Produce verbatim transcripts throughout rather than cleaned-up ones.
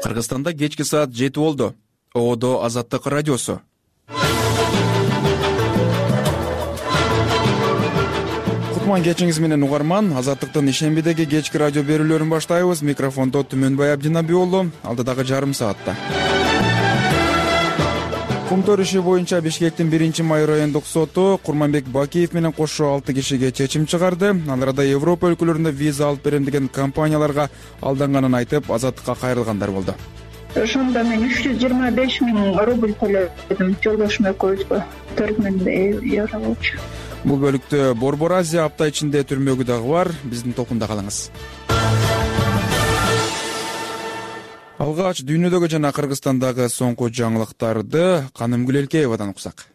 Кыргызстанда кечки саат жети болду. Одо Азаттык радиосу. Кутман кечиңиз менен угарман. Азаттыктын ишембидеги кечки радио берүүлөрүн баштайбыз. Микрофондо Түмөнбай Абдинаби уулу. Алдыдагы жарым саатта Кумтөр иши боюнча Бишкектин биринчи май райондук соту Курманбек Бакиев менен кошо алты кишиге чечим чыгарды. Ал арада Европа өлкөлөрүндө виза алып берем деген компанияларга алданганын айтып, азаттыкка кайрылгандар болду. Ошондо мен үч жүз жыйырма беш миң рубль төлөдүм жолдошум экөөбүзгө, төрт миң евро болчу. Бул бөлүктө Борбор Азия апта ичинде түрмөгү дагы бар. Биздин толкунда калыңыз. Алгач дүйнөдөгү жана Кыргызстандагы соңку жаңылыктарды Канымгүл Элкеевадан уксак.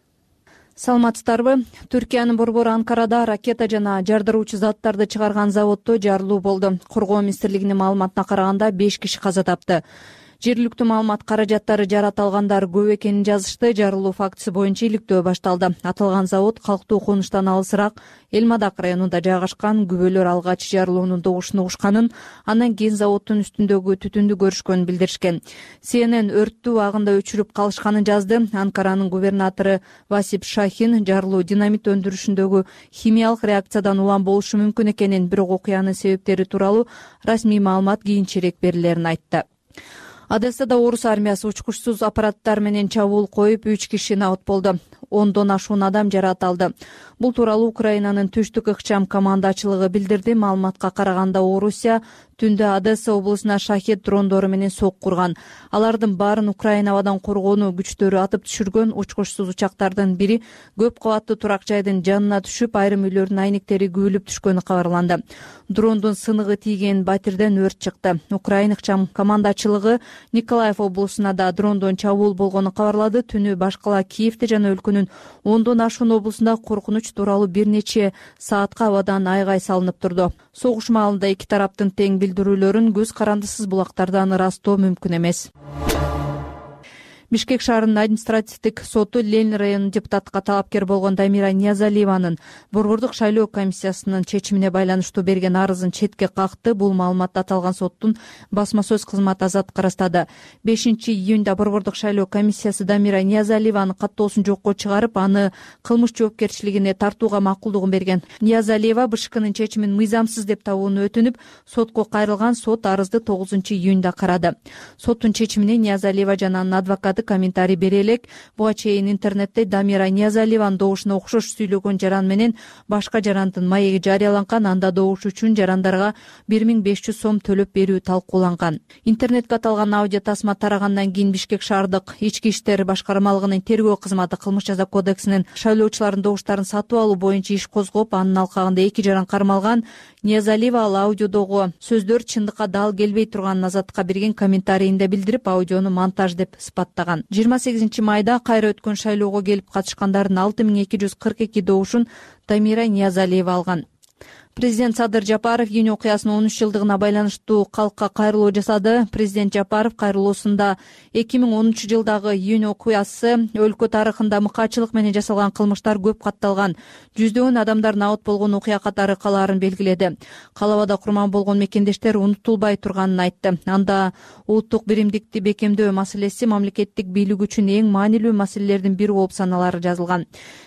Саламатсыздарбы? Түркиянын борбору Анкарада ракета жана жардыруучу заттарды чыгарган заводдо жарылуу болду. Коргоо министрлигинин маалыматына караганда беш киши каза тапты. Жергиликтүү маалымат каражаттары жарата алгандар көп экенин жазышты. Жарылуу фактысы боюнча иликтөө башталды. Аталган завод калктуу конуштан алысыраак Элмадак районунда жайгашкан. Күбөлөр алгач жарылуунун добушун угушканын, андан кийин заводдун үстүндөгү түтүндү көрүшкөнүн билдиришкен. Си Эн Эн өрттү убагында өчүрүп калышканын жазды. Анкаранын губернатору Васип Шахин жарылуу динамит өндүрүшүндөгү химиялык реакциядан улам болушу мүмкүн экенин, бирок окуянын себептери тууралуу расмий маалымат кийинчерээк берилерин айтты. Одессада орус армиясы учкучсуз аппараттар менен чабуул коюп, үч киши набыт болду. Ондон ашуун адам жаракат алды. Бул тууралуу Украинанын түштүк ыкчам командачылыгы билдирди. Маалыматка караганда Орусия түндө Одесса облусуна шахет дрондору менен сок курган. Алардын баарын Украина абадан коргонуу күчтөрү атып түшүргөн. Учкучсуз учактардын бири көп кабаттуу турак жайдын жанына түшүп, айрым үйлөрдүн айнектери күбөлүп түшкөнү кабарланды. Дрондун сыныгы тийген батирден өрт чыкты. Украина ыкчам командачылыгы Николаев облусуна да дрондон чабуул болгонун кабарлады. Түнү башкала Киевде жана өлкөнүн ондон ашуун облусунда коркунуч тууралуу бир нече саатка абадан айгай салынып турду. Согуш маалында эки тараптын тең билдирүүлөрүн көз карандысыз булактардан ырастоо мүмкүн эмес. Бишкек шаарынын административдик соту Ленин районунун депутатка талапкер болгон Дамира Ниязалиеванын борбордук шайлоо комиссиясынын чечимине байланыштуу берген арызын четке какты. Бул маалыматты аталган соттун басма сөз кызматы Азаттыкка ырастады. бешинчи июнда борбордук шайлоо комиссиясы Дамира Ниязалиеванын каттоосун жокко чыгарып, аны кылмыш жоопкерчилигине тартууга макулдугун берген. Ниязалиева БШКнын чечимин мыйзамсыз деп табууну өтүнүп, сотко кайрылган. Сот арызды тогузунчу июнда карады. Соттун чечимине Ниязалиева жана анын адвокаты комментарий бере элек. Буга чейин интернетте Дамира Ниязалиеванын добушуна окшош сүйлөгөн жаран менен башка жарандын маеги жарыяланган. Анда добуш үчүн жарандарга бир миң беш жүз сом төлөп берүү талкууланган. Интернетке аталган аудио тасма тарагандан кийин Бишкек шаардык ички иштер башкармалыгынын тергөө кызматы кылмыш жаза кодексинин шайлоочулардын добуштарын сатып алуу боюнча иш козгоп, анын алкагында эки жаран кармалган. Ниязалиева ал аудиодогу сөздөр чындыкка дал келбей турганын Азаттыкка берген комментарийинде билдирип, аудиону монтаж деп сыпаттаган. жыйырма сегизинчи майда кайра өткөн шайлоого келип катышкандардын алты миң эки жүз кырк эки добушун Дамира Ниязалиева алган. Президент Садыр Жапаров июнь окуясынын он үч жылдыгына байланыштуу калкка кайрылуу жасады. Президент Жапаров кайрылуусунда эки миң онунчу жылдагы июнь окуясы өлкө тарыхында мыкаачылык менен жасалган кылмыштар көп катталган, жүздөгөн адамдар набыт болгон окуя катары калаарын белгиледи. Калабада курман болгон мекендештер унутулбай турганын айтты. Анда улуттук биримдикти бекемдөө маселеси мамлекеттик бийлик үчүн эң маанилүү маселелердин бири болуп саналары жазылган.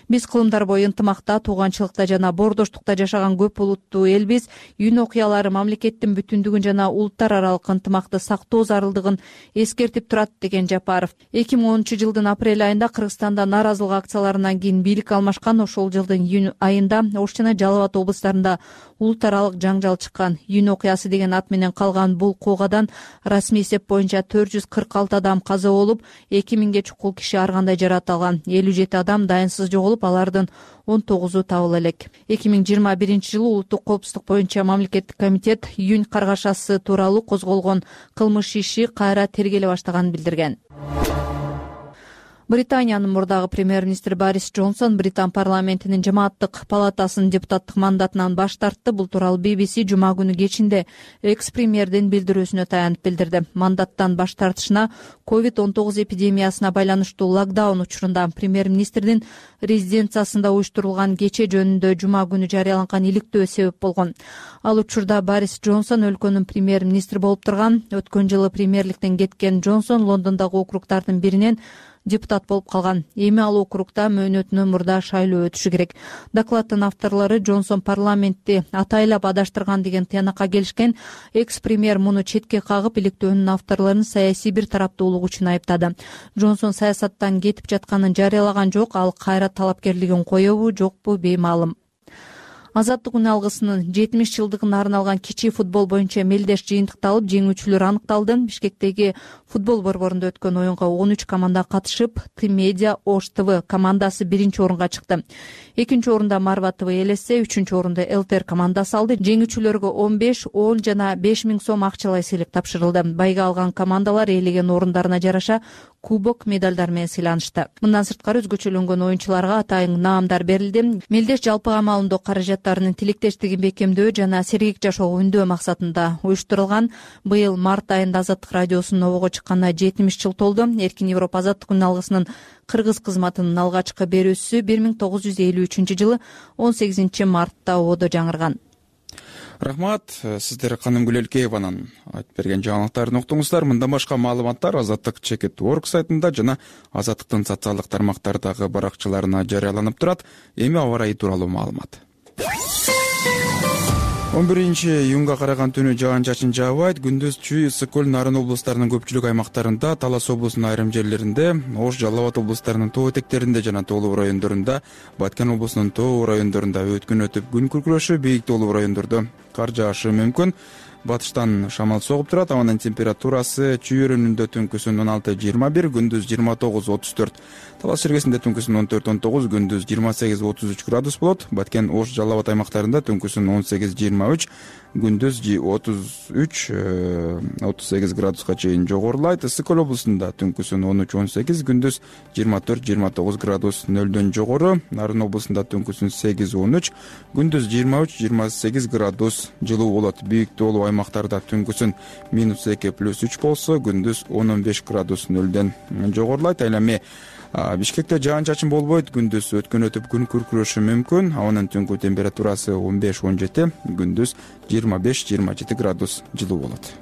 Биз кылымдар бою ынтымакта, тууганчылыкта жана боордоштукта жашаган көп улуттуу элбиз. Июнь окуялары мамлекеттин бүтүндүгүн жана улуттар аралык ынтымакты сактоо зарылдыгын эскертип турат, деген Жапаров. эки миң онунчу жылдын апрель айында Кыргызстанда нааразылык акцияларынан кийин бийлик алмашкан. Ошол жылдын июнь айында Ош жана Жалал Абад облустарында улут аралык жаңжал чыккан. Июнь окуясы деген ат менен калган бул куугадан расмий эсеп боюнча төрт жүз кырк алты адам каза болуп, эки миңге чукул киши ар кандай жаракат алган. элүү жети адам дайынсыз жоголуп, алардын он тогузу табыла элек. эки миң жыйырма биринчи жылы улуттук коопсуздук боюнча мамлекеттик комитет июнь каргашасы тууралуу козголгон кылмыш иши кайра тергеле баштаганын билдирген. Британиянын мурдагы премьер-министри Борис Джонсон Британ парламентинин жамааттык палатасынын депутаттык мандатынан баш тартты. Бул тууралуу би би си жума күнү кечинде экс-премьердин билдирүүсүнө таянып билдирди. Мандаттан баш тартышына ковид он тогуз эпидемиясына байланыштуу локдаун учурунда премьер-министрдин резиденциясында уюштурулган кече жөнүндө жума күнү жарыяланган иликтөө себеп болгон. Ал учурда Борис Джонсон өлкөнүн премьер-министри болуп турган. Өткөн жылы премьерликтен кеткен Джонсон Лондондогу округдардын биринен депутат болуп калган. Эми ал округда мөөнөтүнөн мурда шайлоо өтүшү керек. Докладдын авторлору Джонсон парламентти атайлап адаштырган деген тыянакка келишкен. Экс-премьер муну четке кагып, иликтөөнүн авторлорун саясий бир тараптуулук үчүн айыптады. Джонсон саясаттан кетип жатканын жарыялаган жок. Ал кайра талапкерлигин коебу, жокпу беймаалым. Азаттык үн алгысынын жетимиш жылдыгына арналган кичи футбол боюнча мелдеш жыйынтыкталып, жеңүүчүлөр аныкталды. Бишкектеги футбол борборунда өткөн оюнга он үч команда катышып, Т-Медиа Ош ТВ командасы биринчи орунга чыкты. Экинчи орунда Марва ТВ элесе, үчүнчү орунда Эл Т Р командасы алды. Жеңүүчүлөргө он беш, он жана беш миң сом акчалай сыйлык тапшырылды. Байга алган командалар ээлеген орундарына жараша кубок, медалдар менен сыйланышты. Мындан сырткары өзгөчөлөнгөн оюнчуларга атайын наамдар берилди. Мелдеш жалпы камалындоо каражаттарынын тилектештигин бекемдөө жана сергек жашоого үндөө максатында уюштурулган. Быйыл март айында Азаттык радиосунун обого чыкканына жетимиш жыл толду. Эркин Европа азаттык үн алгысынын кыргыз кызматынын алгачкы берүүсү бир миң тогуз жүз элүү үчүнчү жылы он сегизинчи мартта ободо жаңырган. Рахмат. Сиздер Канымгүл Элкееванын айтып берген жаңылыктарын уктуңуздар. Мындан башка маалыматтар азаттык чекит точка орг сайтында жана Азаттыктын социалдык тармактардагы баракчаларына жарыяланып турат. Эми аба ырайы тууралуу маалымат. он биринчи июнга караган түнү жаан-чачын жаабайт. Күндүз Чүй, Ысык көл, Нарын облустарынын көпчүлүк аймактарында, Талас облусунун айрым жерлеринде, Ош, Жалал Абад облустарынын тоо этектеринде жана тоолуу райондорунда, Баткен облусунун тоо райондорунда өткүн өтүп күн күркүрөшү, бийик тоолуу райондордо кар жаашы мүмкүн. Батыштан шамал согуп турат. Абанын температурасы Чүй өрөөнүндө түнкүсүн он алты жыйырма бир, күндүз жыйырма тогуз отуз төрт. Талас шергесинде түнкүсүн он төрт он тогуз, күндүз жыйырма сегиз отуз үч градус болот. Баткен, Ош, Жалал Абад аймактарында түнкүсүн он сегиз жыйырма үч, күндүз отуз үч отуз сегиз градуска чейин жогорулайт. Ысык көл облусунда түнкүсүн он үч он сегиз, күндүз жыйырма төрт жыйырма тогуз градус нөлдөн жогору. Нарын облусунда түнкүсүн сегиз он үч, күндүз жыйырма үч жыйырма сегиз градус жылуу болот. Бийик тоолуу аймактарда түнкүсүн минус эки плюс үч болсо, күндүз он он беш градус нөлдөн жогорулайт. Ал эми Бишкекте жаан-чачын болбойт. Күндүз өткөн өтүп күн күркүрөшү мүмкүн. Абанын түнкү температурасы он беш он жети, күндүз жыйырма беш жыйырма жети градус жылуу болот.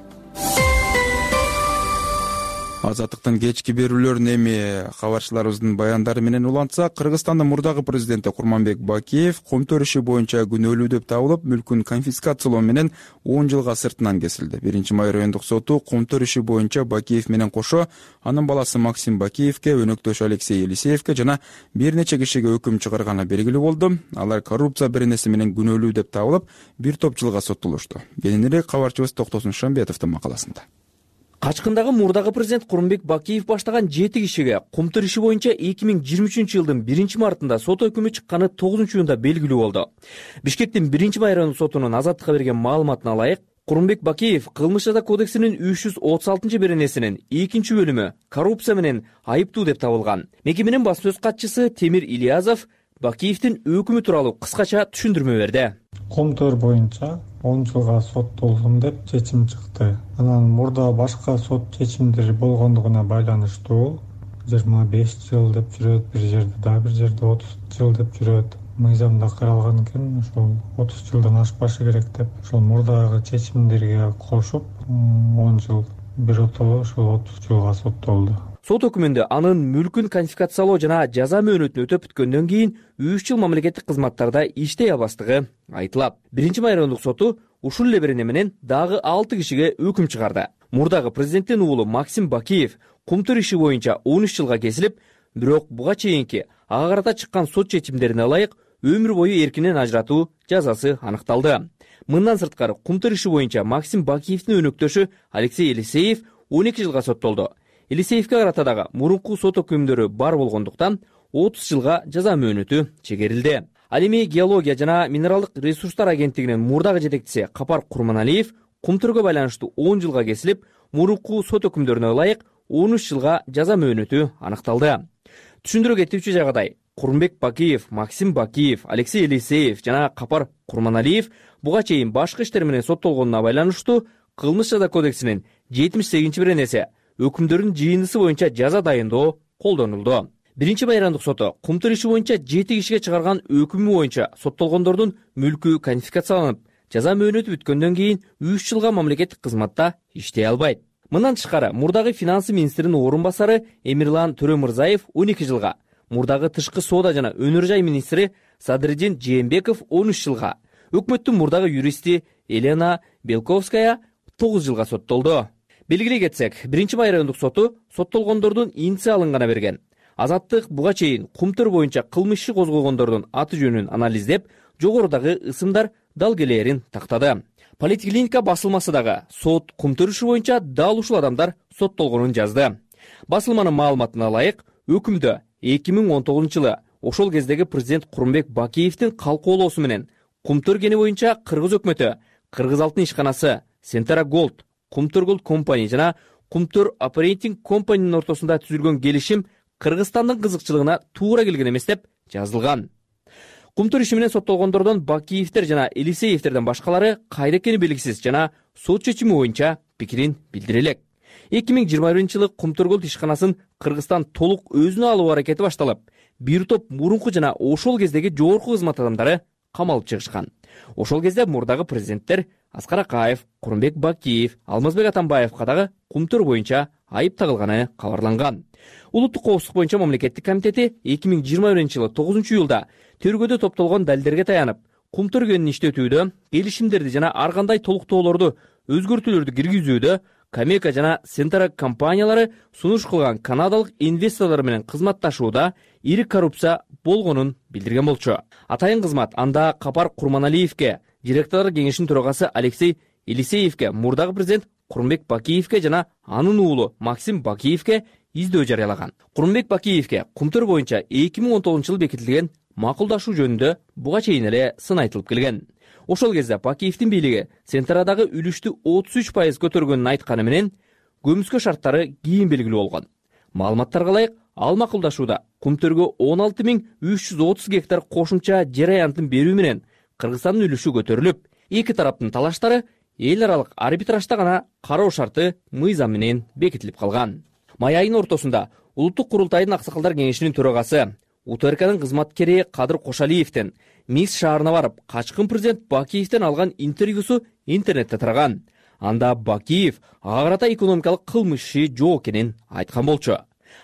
Азаттыктын кечки берүүлөрүн эми кабарчыларыбыздын баяндары менен улантсак, Кыргызстандын мурдагы президенти Курманбек Бакиев комтөр иши боюнча күнөөлүү деп табылып, мүлкүн конфискациялоо менен он жылга сыртынан кесилди. биринчи май райондук соту комтөр иши боюнча Бакиев менен кошо анын баласы Максим Бакиевке, өнөктөшү Алексей Елисеевке жана бир нече кишиге өкүм чыгарганы белгилүү болду. Алар коррупция беренеси менен күнөөлүү деп табылып, бир топ жылга соттолушту. Кененирээк кабарчыбыз Токтосун Шамбетовдун макаласында. Качкындагы мурдагы президент Курманбек Бакиев баштаган жети кишиге комтөр иши боюнча эки миң жыйырма үчүнчү жылдын биринчи мартында сот өкүмү чыкканы тогузунчу июнда белгилүү болду. Бишкектин биринчи май райондук сотунун Азаттыкка берген маалыматына ылайык, Курманбек Бакиев кылмыш жаза кодексинин үч жүз отуз алтынчы беренесинин экинчи бөлүмү коррупция менен айыптуу деп табылган. Мекеменин басма сөз катчысы Темир Ильязов Бакиевдин өкүмү тууралуу кыскача түшүндүрмө берди. Комтөр боюнча он жылга соттолдум деп чечим чыкты. Анан мурда башка сот чечимдери болгондугуна байланыштуу жыйырма беш жыл деп жүрөт, бир жерде да бир жерде отуз жыл деп жүрөт. Мыйзамда каралган экен, ошол отуз жылдан ашпашы керек деп. Ошол мурдагы чечимдерге кошуп он жыл биротоло ошол отуз жылга соттолду. Сот өкүмүндө анын мүлкүн конфискациялоо жана жаза мөөнөтүн өтөп бүткөндөн кийин үч жыл мамлекеттик кызматтарда иштей албастыгы айтылат. биринчи май райондук соту ушул эле берене менен дагы алты кишиге өкүм чыгарды. Мурдагы президенттин уулу Максим Бакиев комтөр иши боюнча он үч жылга кесилип, бирок буга чейинки ага карата чыккан сот чечимдерине ылайык өмүр бою эркинен ажыратуу жазасы аныкталды. Мындан сырткары комтөр иши боюнча Максим Бакиевдин өнөктөшү Алексей Елисеев он эки жылга соттолду. Елисеевке карата дагы мурунку сот өкүмдөрү бар болгондуктан отуз жылга жаза мөөнөтү чегерилди. Ал эми геология жана минералдык ресурстар агенттигинин мурдагы жетекчиси Капар Курманалиев комтөргө байланыштуу он жылга кесилип, мурунку сот өкүмдөрүнө ылайык он үч жылга жаза мөөнөтү аныкталды. түшүндүрө кетүүчү жагдай, Курманбек Бакиев, Максим Бакиев, Алексей Елисеев жана Капар Курманалиев буга чейин башкы иштер менен соттолгонуна байланыштуу кылмыш жаза кодексинин жетимиш сегизинчи беренеси өкүмдөрдүн жыйындысы боюнча жаза дайындоо колдонулду. Биринчи майрандык соту Кумтур иши боюнча жети кишиге чыгарган өкүмү боюнча соттолгондордун мүлкү конфискацияланып, жаза мөөнөтү бүткөндөн кийин үч жылга мамлекеттик кызматта иштей албайт. Мындан тышкары, мурдагы финансы министринин орун басары Эмирлан Төрөмырзаев он эки жылга, мурдагы тышкы соода жана өнөр жай министри Садриддин Жээнбеков он үч жылга, өкмөттүн мурдагы юристи Елена Белковская тогуз жылга соттолду. Белгилей кетсек, биринчи май райондук соту соттолгондордун инициалын гана берген. Азаттык буга чейин Кумтур боюнча кылмыш иши козгогондордун аты жөнүн анализдеп, жогорудагы ысымдар далгелерин тактады. Политклиника басылмасы дагы сот Кумтур иши боюнча дал ушул адамдар соттолгонун жазды. Басылманын маалыматына ылайык, өкүмдө эки миң он тогузунчу жылы ошол кездеги президент Курманбек Бакиевдин калкоолоосу менен Кумтур кени боюнча Кыргыз өкмөтү, Кыргыз алтын ишканасы, Сентара Голд, Кумтур Голд компани жана Кумтур Оперейтинг компанинин ортосунда түзүлгөн келишим Кыргызстандын кызыкчылыгына туура келген эмес деп жазылган. Кумтур иши менен соттолгондордон Бакиевдер жана Элисеевдерден башкалары кайда экени белгисиз жана сот чечими боюнча пикирин билдире элек. эки миң жыйырма биринчи жылы Кумтур Голд ишканасын Кыргызстан толук өзүнө алуу аракети башталып, бир топ мурунку жана ошол кездеги жогорку кызмат адамдары камалып чыгышкан. Ошол кезде мурдагы президенттер Аскар Акаев, Курманбек Бакиев, Алмазбек Атамбаевга дагы Кумтур боюнча айып тагылганы кабарланган. Улуттук коопсуздук боюнча мамлекеттик комитети эки миң жыйырма биринчи жылы тогузунчу июлда тергөөдө топтолгон далилдерге таянып, Кумтур кенин иштетүүдө, келишимдерди жана ар кандай толуктоолорду, өзгөртүүлөрдү киргизүүдө Камека жана Сентара компаниялары сунуш кылган канадалык инвесторлор менен кызматташууда ири коррупция болгонун билдирген болчу. Атайын кызмат анда Капар Курманалиевке, директорлор кеңешинин төрагасы Алексей Елисеевке, мурдагы президент Курманбек Бакиевке жана анын уулу Максим Бакиевке издөө жарыялаган. Курманбек Бакиевке Кумтур боюнча эки миң он тогузунчу жылы бекитилген макулдашуу жөнүндө буга чейин эле сын айтылып келген. Ошол кезде Бакиевдин бийлиги Сентарадагы үлүштү отуз үч пайыз көтөргөнүн айтканы менен көмүскө шарттары кийин белгилүү болгон. Маалыматтарга ылайык, ал макулдашууда Кумтурго он алты миң үч жүз отуз гектар кошумча жер аянтын берүү менен Кыргызстандын үлүшү көтөрүлүп, эки тараптын талаштары эл аралык арбитражда гана кароо шарты мыйзам менен бекитилип калган. Май айынын ортосунда Улуттук курултайдын аксакалдар кеңешинин төрагасы У Т Р Кнын кызматкери Кадыр Кошалиевден Минск шаарына барып, качкын президент Бакиевден алган интервьюсу интернетте тараган. Анда Бакиев ага карата экономикалык кылмыш иши жок экенин айткан болчу.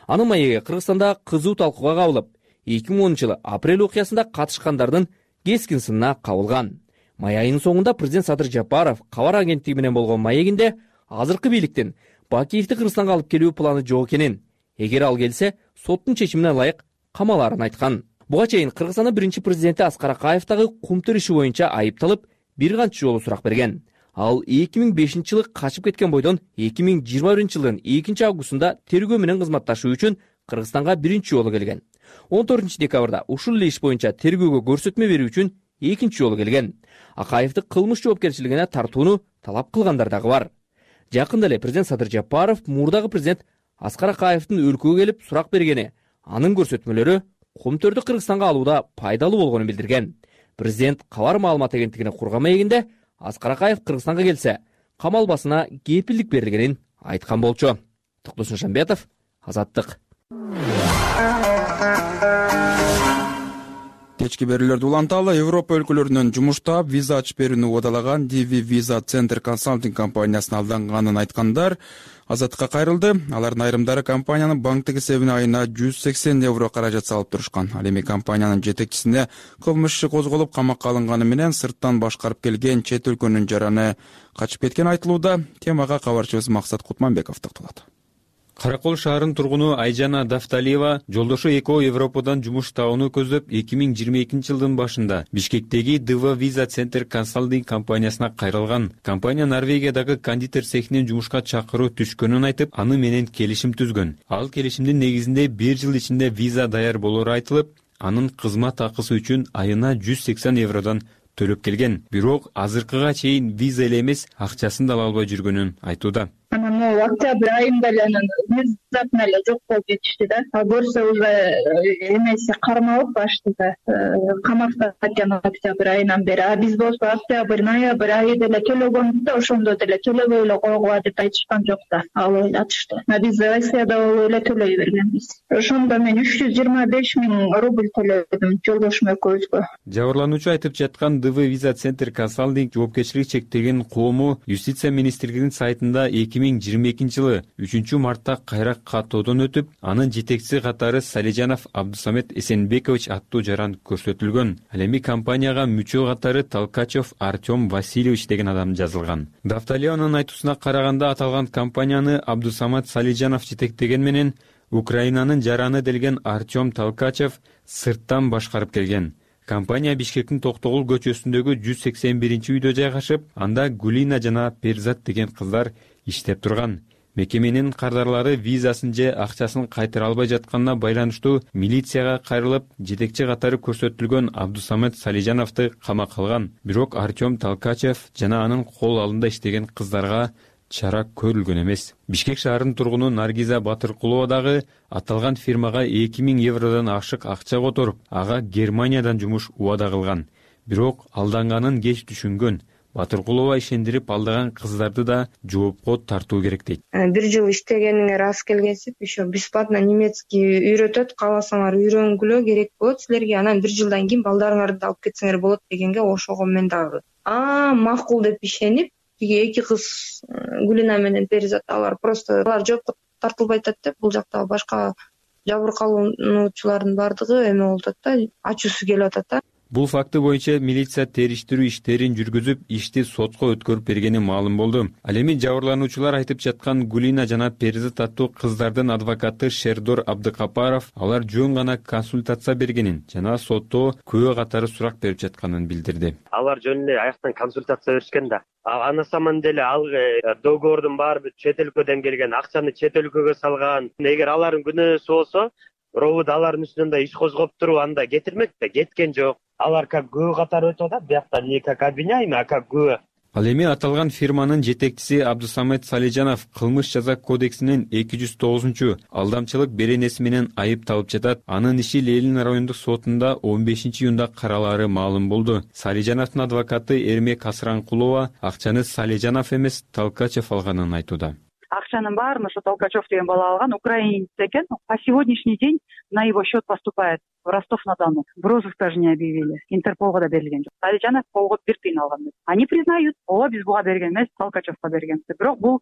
Анын маегиге Кыргызстанда кызуу талкууга кабылып, эки миң онунчу жылы апрель окуясында катышкандардын кескин сынына кабылган. Май айынын соңунда президент Садыр Жапаров кабар агенттиги менен болгон маегинде азыркы бийликтин Бакиевди Кыргызстанга алып келүү планы жок экенин, эгер ал келсе, соттун чечимине ылайык камалаарын айткан. Буга чейин Кыргызстандын биринчи президенти Аскар Акаев дагы Кумтур иши боюнча айыпталып, бир канча жолу сурак берген. Ал эки миң бешинчи жылы качып кеткен бойдон эки миң жыйырма биринчи жылдын экинчи августунда тергөө менен кызматташуу үчүн Кыргызстанга биринчи жолу келген. он төртүнчү декабрда ушул эле иш боюнча тергөөгө көрсөтмө берүү үчүн экинчи жолу келген. Акаевди кылмыш жоопкерчилигине тартууну талап кылгандар дагы бар. Жакында эле президент Садыр Жапаров мурдагы президент Аскар Акаевдин өлкөгө келип сурак бергени, анын көрсөтмөлөрү Кумтурду Кыргызстанга алууда пайдалуу болгонун билдирген. Президент кабар маалымат агенттигине курган маегинде Аскар Акаев Кыргызстанга келсе, камалбасына кепилдик берилгенин айткан болчу. Токтосун Шамбетов, Азаттык. Кечки берүүлөрдү уланталы. Европа өлкөлөрүнөн жумушта виза ачып берүүнү убадалаган ди ви Visa Center консалтинг компаниясына алданганын айткандар Азаттыкка кайрылды. Алардын айрымдары компаниянын банктык эсебине айына жүз сексен евро каражат салып турушкан. Ал эми компаниянын жетекчисине кылмыш иши козголуп камакка алынганы менен сырттан башкарып келген чет өлкөнүн жараны качып кеткени айтылууда. Темага кабарчыбыз Максат Кутманбеков токтолот. Каракол шаарынын тургуну Айжана Дафталиева жолдошу Эко Европадан жумуш табууну көздөп эки миң жыйырма экинчи жылдын башында Бишкектеги ди ви Visa Center консалтинг компаниясына кайрылган. Компания Норвегиядагы кондитер цехинен жумушка чакыруу түшкөнүн айтып, аны менен келишим түзгөн. Ал келишимдин негизинде бир жыл ичинде виза даяр болору айтылып, анын кызмат акысы үчүн айына жүз сексен евродон төлөп келген. Бирок азыркыга чейин виза эле эмес, акчасын да ала албай жүргөнүн айтууда. Анан октябрь айында эле анан внезапно эле жок болуп кетишти да. А көрсө уже эмеси кармалып баштыда, камакта экен октябрь айынан бери. А биз болсо октябрь, ноябрь айы деле төлөгөнбүз да, ошондо деле төлөбөй эле койгула деп айтышкан жок да. Ал ойлотушту. А биз Россияда болуп эле төлөй бергенбиз. Ошондо мен үч жүз жыйырма беш миң рубль төлөдүм жолдошум экөөбүзгө. Жабырлануучу айтып жаткан ди ви Visa Center Consulting жоопкерчилиги чектелген коому Юстиция министрлигинин сайтында эки миң жыйырма экинчи жылы үчүнчү мартта кайра каттоодон өтүп, анын жетекчиси катары Салижанов Абдусамет Эсенбекович аттуу жаран көрсөтүлгөн. Ал эми компанияга мүчө катары Толкачев Артем Васильевич деген адам жазылган. Дафталиянын айтуусуна караганда, аталган компанияны Абдусамат Салижанов жетектеген менен Украинанын жараны делген Артем Толкачев сырттан башкарып келген. Компания Бишкектин Токтогул көчөсүндөгү жүз сексен биринчи үйдө жайгашып, анда Гулина жана Перзат деген кыздар иштеп турган. Мекеменин кардарлары визасын же акчасын кайтара албай жатканына байланыштуу милицияга кайрылып, жетекчи катары көрсөтүлгөн Абдусамет Салижановду камакка алган. Бирок Артем Толкачев жана анын кол алдында иштеген кыздарга чара көрүлгөн эмес. Бишкек шаарынын тургуну Наргиза Батыркулова дагы аталган фирмага эки миң евродон ашык акча которуп, ага Германиядан жумуш убада кылган. Бирок алданганын кеч түшүнгөн. Батыркулова ишендирип алдаган кыздарды да жоопко тартуу керек дейт. Бир жыл иштегениңер аз келгенсип, еще бесплатно немецкий үйрөтөт, кааласаңар үйрөнгүлө керек болот силерге, анан бир жылдан кийин балдарыңарды алып кетсеңер болот дегенге ошого мен дагы а макул деп ишенип, тиги эки кыз Гулина менен Перзат, алар просто алар жоопко тартылбай атат деп, бул жакта башка жабыркалануучулардын бардыгы эме болуп атат да, ачуусу келип атат да. Бул факты боюнча милиция териштирүү иштерин жүргүзүп, ишти сотко өткөрүп бергени маалым болду. Ал эми жабырлануучулар айтып жаткан Гулина жана Перзат аттуу кыздардын адвокаты Шердор Абдыкапаров алар жөн гана консультация бергенин жана сотто күбө катары сурак берип жатканын билдирди. Алар жөн эле аяктан консультация беришкен да. Ана саман деле ал договордун баары чет өлкөдөн келген, акчаны чет өлкөгө салган. Эгер алардын күнөөсү болсо, робот алардын үстүнөн да иш козгоп туруп анда кетирмек да, кеткен жок. Алар как күбө катары өтүп атат, биякта не как обвиняемый, а как күбө. Ал эми аталган фирманын жетекчиси Абдусамет Салижанов кылмыш жаза кодексинин эки жүз тогузунчу алдамчылык беренеси менен айыпталып жатат. Анын иши Ленин райондук сотунда он бешинчи июнда каралаары маалым болду. Салижановдун адвокаты Эрмек Асранкулова акчаны Салижанов эмес, Толкачев алганын айтууда. Акчанын баарын ошо Толкачев деген бала алган, украинец экен. По сегодняшний день на его счет поступает в Ростов-на-Дону. В розыск даже не объявили. Интерполго да берилген жок. Салижанов колго бир тыйын алган. Они признают, ооба биз буга берген эмес, Толкачевко берген. Бирок бул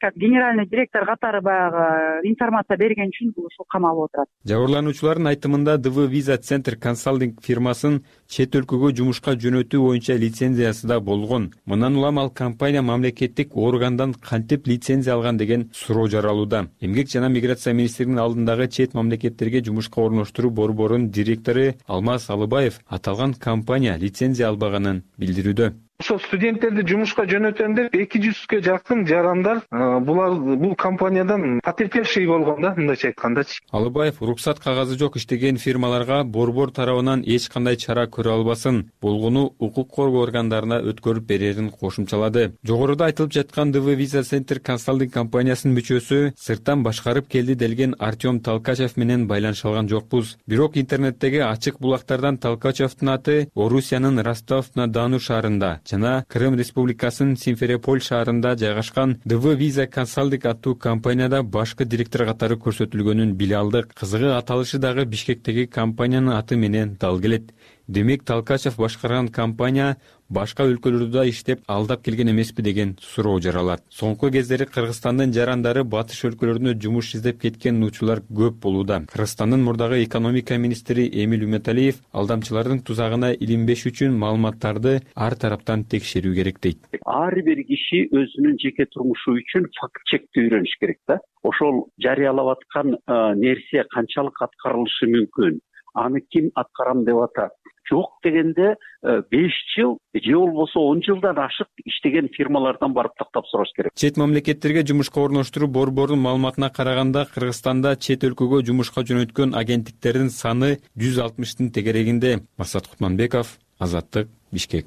как генеральный директор катары баягы информация берген үчүн бул ушул камалып отурат. Жабырлануучулардын айтымында ди ви Visa Center Consulting фирмасын чет өлкөгө жумушка жөнөтүү боюнча лицензиясы да болгон. Мындан улам ал компания мамлекеттик органдан кантип лицензия алган деген суроо жаралууда. Эмгек жана миграция министрлигинин алдындагы чет мамлекеттерге жумушка орноштуруу борборунун директору Алмаз Алыбаев аталган компания лицензия албаганын билдирүүдө. Ошо студенттерди жумушка жөнөтөм деп эки жүзгө жакын жарандар булар бул компаниядан потерпевший болгон да, мындайча айткандачы. Алыбаев уруксат кагазы жок иштеген фирмаларга борбор тарабынан эч кандай чара көрө албасын, болгону укук коргоо органдарына өткөрүп берерин кошумчалады. Жогоруда айтылып жаткан ди ви Visa Center Consulting компаниясынын мүчөсү сырттан башкарып келди делген Артем Толкачев менен байланыша алган жокпуз. Бирок интернеттеги ачык булактардан Толкачевдун аты Орусиянын Ростов-на-Дону шаарында жана Крым Республикасынын Симферополь шаарында жайгашкан ди ви Visa Consulting аттуу компанияда башкы директор катары көрсөтүлгөнүн биле алдык. Кызыгы аталышы дагы Бишкектеги компаниянын аты менен дал келет. Демек Толкачев башкарган компания башка өлкөлөрдө да иштеп алдап келген эмеспи деген суроо жаралат. Соңку кездери Кыргызстандын жарандары батыш өлкөлөрүнө жумуш издеп кеткен учурлар көп болууда. Кыргызстандын мурдагы экономика министри Эмиль Үмөталиев алдамчылардын тузагына илинбеш үчүн маалыматтарды ар тараптан текшерүү керек дейт. Ар бир киши өзүнүн жеке турмушу үчүн факт чекти үйрөнүш керек да. Ошол жарыялап аткан нерсе канчалык аткарылышы мүмкүн? Аны ким аткарам деп атат? Жок дегенде беш жыл же болбосо он жылдан ашык иштеген фирмалардан барып тактап сураш керек. Чет мамлекеттерге жумушка орноштуруу борборунун маалыматына караганда, Кыргызстанда чет өлкөгө жумушка жөнөткөн агенттиктердин саны жүз алтымыштын тегерегинде. Максат Кутманбеков, Азаттык, Бишкек.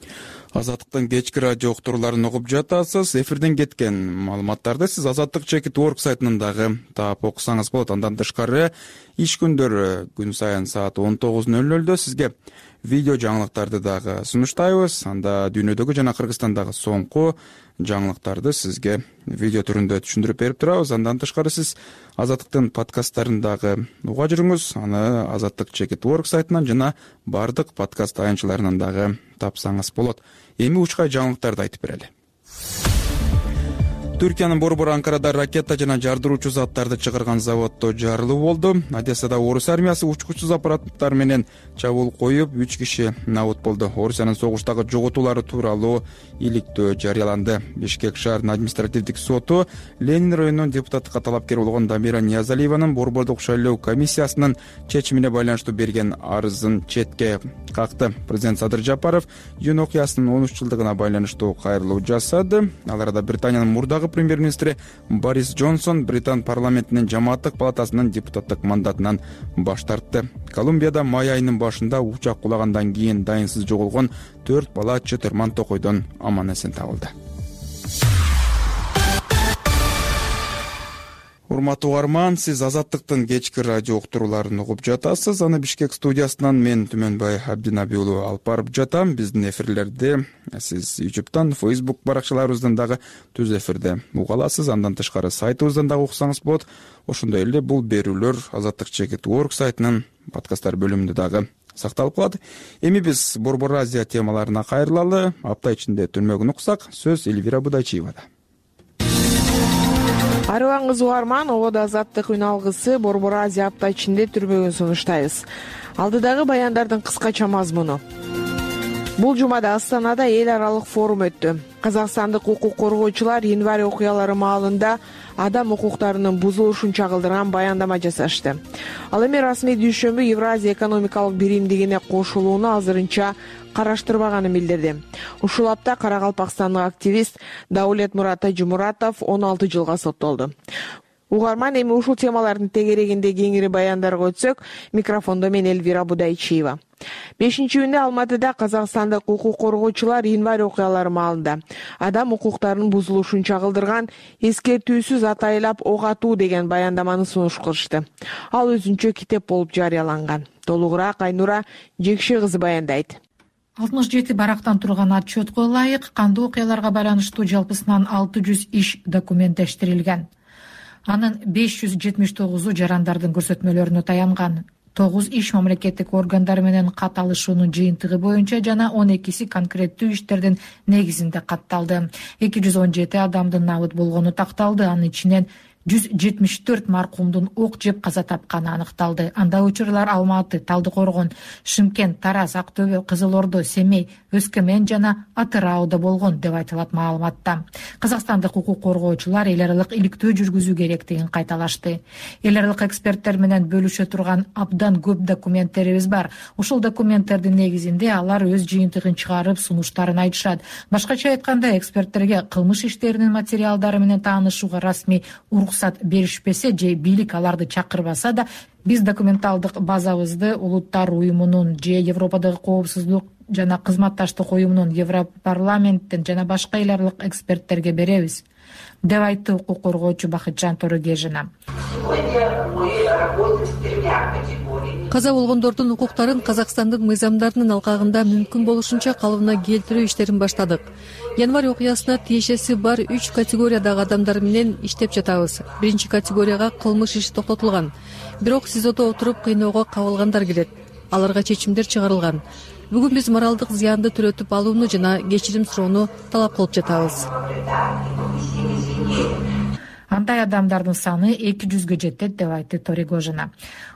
Азаттыктын кечки радио уктурууларын угуп жатасыз. Эфирден кеткен маалыматтарды сиз азаттык чекит орг сайтынан дагы таап окусаңыз болот. Андан тышкары иш күндөрү күн сайын саат он тогуз ноль нольдө сизге видео жаңылыктарды дагы сунуштайбыз. Анда дүйнөдөгү жана Кыргызстандагы соңку жаңылыктарды сизге видео түрүндө түшүндүрүп берип турабыз. Андан тышкары сиз азаттыктын подкасттарын дагы уга жүрүңүз. Аны азаттык чекит орг сайтынан жана бардык подкаст аянтчыларынан дагы тапсаңыз болот. Эми учкай жаңылыктарды айтып берели. Түркиянын борбору Анкарада ракета жана жардыруучу заттарды чыгарган заводдо жарылуу болду. Одессада орус армиясы учкучсуз аппараттар менен чабуул коюп, үч киши набут болду. Орусиянын согуштагы жоготуулары тууралуу иликтөө жарыяланды. Бишкек шаарынын административдик соту Ленин районунун депутаттыкка талапкер болгон Дамира Ниязалиеванын борбордук шайлоо комиссиясынын чечимине байланыштуу берген арызын четке какты. Президент Садыр Жапаров июнь окуясынын он үч жылдыгына байланыштуу кайрылуу жасады. Ал арада Британиянын мурдагы премьер-министри Борис Джонсон Британ парламентинин жамааттык палатасынын депутаттык мандатынан баш тартты. Колумбияда май айынын башында учак кулагандан кийин дайынсыз жоголгон төрт бала Чытырман токойдон аман эсен табылды. Урматтуу угарман, сиз азаттыктын кечки радио уктурууларын угуп жатасыз. Аны Бишкек студиясынан мен Түмөнбай Абдинаби уулу алып барып жатам. Биздин эфирлерди сиз YouTube'дан, Facebook баракчаларыбыздан дагы түз эфирде уга аласыз. Андан тышкары сайтыбыздан дагы уксаңыз болот. Ошондой эле бул берүүлөр азаттык чекит орг сайтынын подкасттар бөлүмүндө дагы сакталып калат. Эми биз Борбор Азия темаларына кайрылалы. Апта ичинде түрмөгүн уксак, сөз Эльвира Будайчиевада. Арыбаңыз угарман, ободо азаттык үн алгысы Борбор Азия апта ичинде түрмөгүн сунуштайбыз. Алдыдагы баяндардын кыскача мазмуну. Бул жумада Астанада эл аралык форум өттү. Казакстандык укук коргоочулар январь окуялары маалында адам укуктарынын бузулушун чагылдырган баяндама жасашты. Ал эми расмий дүйшөмбү Евразия экономикалык биримдигине кошулууну азырынча караштырбаганын билдирди. Ушул апта Каракалпакстандык активист Даулет Мурат Тажимуратов он алты жылга соттолду. Угарман, эми ушул темалардын тегерегинде кеңири баяндарга өтсөк, микрофондо мен Эльвира Будайчиева. бешинчи июнда Алматыда Казакстандык укук коргоочулар январь окуялары маалында адам укуктарынын бузулушун чагылдырган эскертүүсүз атайлап ок атуу деген баяндаманы сунуш кылышты. Ал өзүнчө китеп болуп жарыяланган. Толугураак Айнура Жекши кызы баяндайт. алтымыш жети барактан турган отчетко ылайык кандуу окуяларга байланыштуу жалпысынан алты жүз иш документтештирилген. Анын беш жүз жетимиш тогузу жарандардын көрсөтмөлөрүнө таянган. тогуз иш мамлекеттик органдар менен кат алышуунун жыйынтыгы боюнча жана он экиси конкреттүү иштердин негизинде катталды. эки жүз он жети адамдын набыт болгону такталды. Анын ичинен жүз жетимиш төрт маркумдун ок жеп каза тапканы аныкталды. Анда учурлар Алматы, Талдыкоргон, Шымкент, Тараз, Актөбө, Кызыл Ордо, Семей, Өскөмен жана Атырауда болгон деп айтылат маалыматта. Казакстандык укук коргоочулар эл аралык иликтөө жүргүзүү керектигин кайталашты. Эл аралык эксперттер менен бөлүшө турган абдан көп документтерибиз бар. Ушул документтердин негизинде алар өз жыйынтыгын чыгарып, сунуштарын айтышат. Башкача айтканда, эксперттерге кылмыш иштеринин материалдары менен таанышууга расмий уруксат беришпесе же бийлик аларды чакырбаса да, биз документалдык базабызды Улуттар уюмунун же Европадагы коопсуздук жана кызматташтык уюмунун, Европарламенттин жана башка эл аралык эксперттерге беребиз, деп айтты укук коргоочу Бакытжан Торогежина. Каза болгондордун укуктарын Казакстандын мыйзамдарынын алкагында мүмкүн болушунча калыбына келтирүү иштерин баштадык. Январь окуясына тиешеси бар үч категориядагы адамдар менен иштеп жатабыз. Биринчи категорияга кылмыш иши токтотулган. Бирок СИЗОдо отуруп кыйноого кабылгандар келет. Аларга чечимдер чыгарылган. Бүгүн биз моралдык зыянды төлөтүп алууну жана кечирим суроону талап кылып жатабыз. Андай адамдардын саны эки жүзгө жетет деп айтты Торигожина.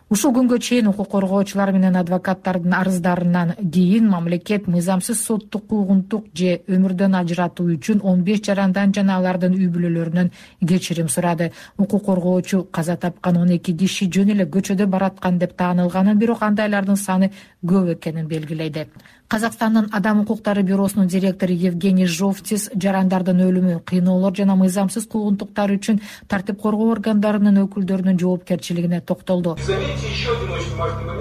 Ушул күнгө чейин укук коргоочулар менен адвокаттардын арыздарынан кийин мамлекет мыйзамсыз соттук куугунтук же өмүрдөн ажыратуу үчүн он беш жарандан жана алардын үй бүлөлөрүнөн кечирим сурады. Укук коргоочу каза тапкан он эки киши жөн эле көчөдө бараткан деп таанылганын, бирок андайлардын саны көп экенин белгилейди. Казакстандын Адам укуктары бюросунун директору Евгений Жовтис жарандардын өлүмү, кыйноолор жана мыйзамсыз куугунтуктар үчүн тартип коргоо органдарынын өкүлдөрүнүн жоопкерчилигине токтолду.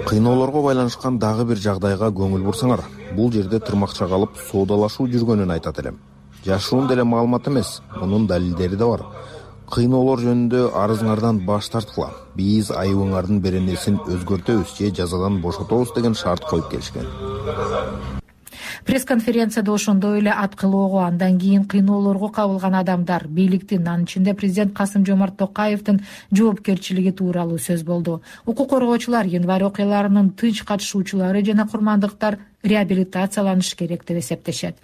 Кыйноолорго байланышкан дагы бир жагдайга көңүл бурсаңар, бул жерде тырмакча калып соодалашуу жүргөнүн айтат элем. Жашыруун деле маалымат эмес, мунун далилдери да бар. Кыйноолор жөнүндө арызыңардан баш тарткыла. Биз айыбыңардын беренесин өзгөртөбүз же жазадан бошотобуз деген шарт коюп келишкен. Пресс-конференцияда ошондой эле ат кылоого, андан кийин кыйноолорго кабылган адамдар, бийликтин, анын ичинде президент Касым-Жомарт Токаевдин жоопкерчилиги тууралуу сөз болду. Укук коргоочулар, январь окуяларынын тынч катышуучулары жана курмандыктар реабилитацияланыш керек деп эсептешет.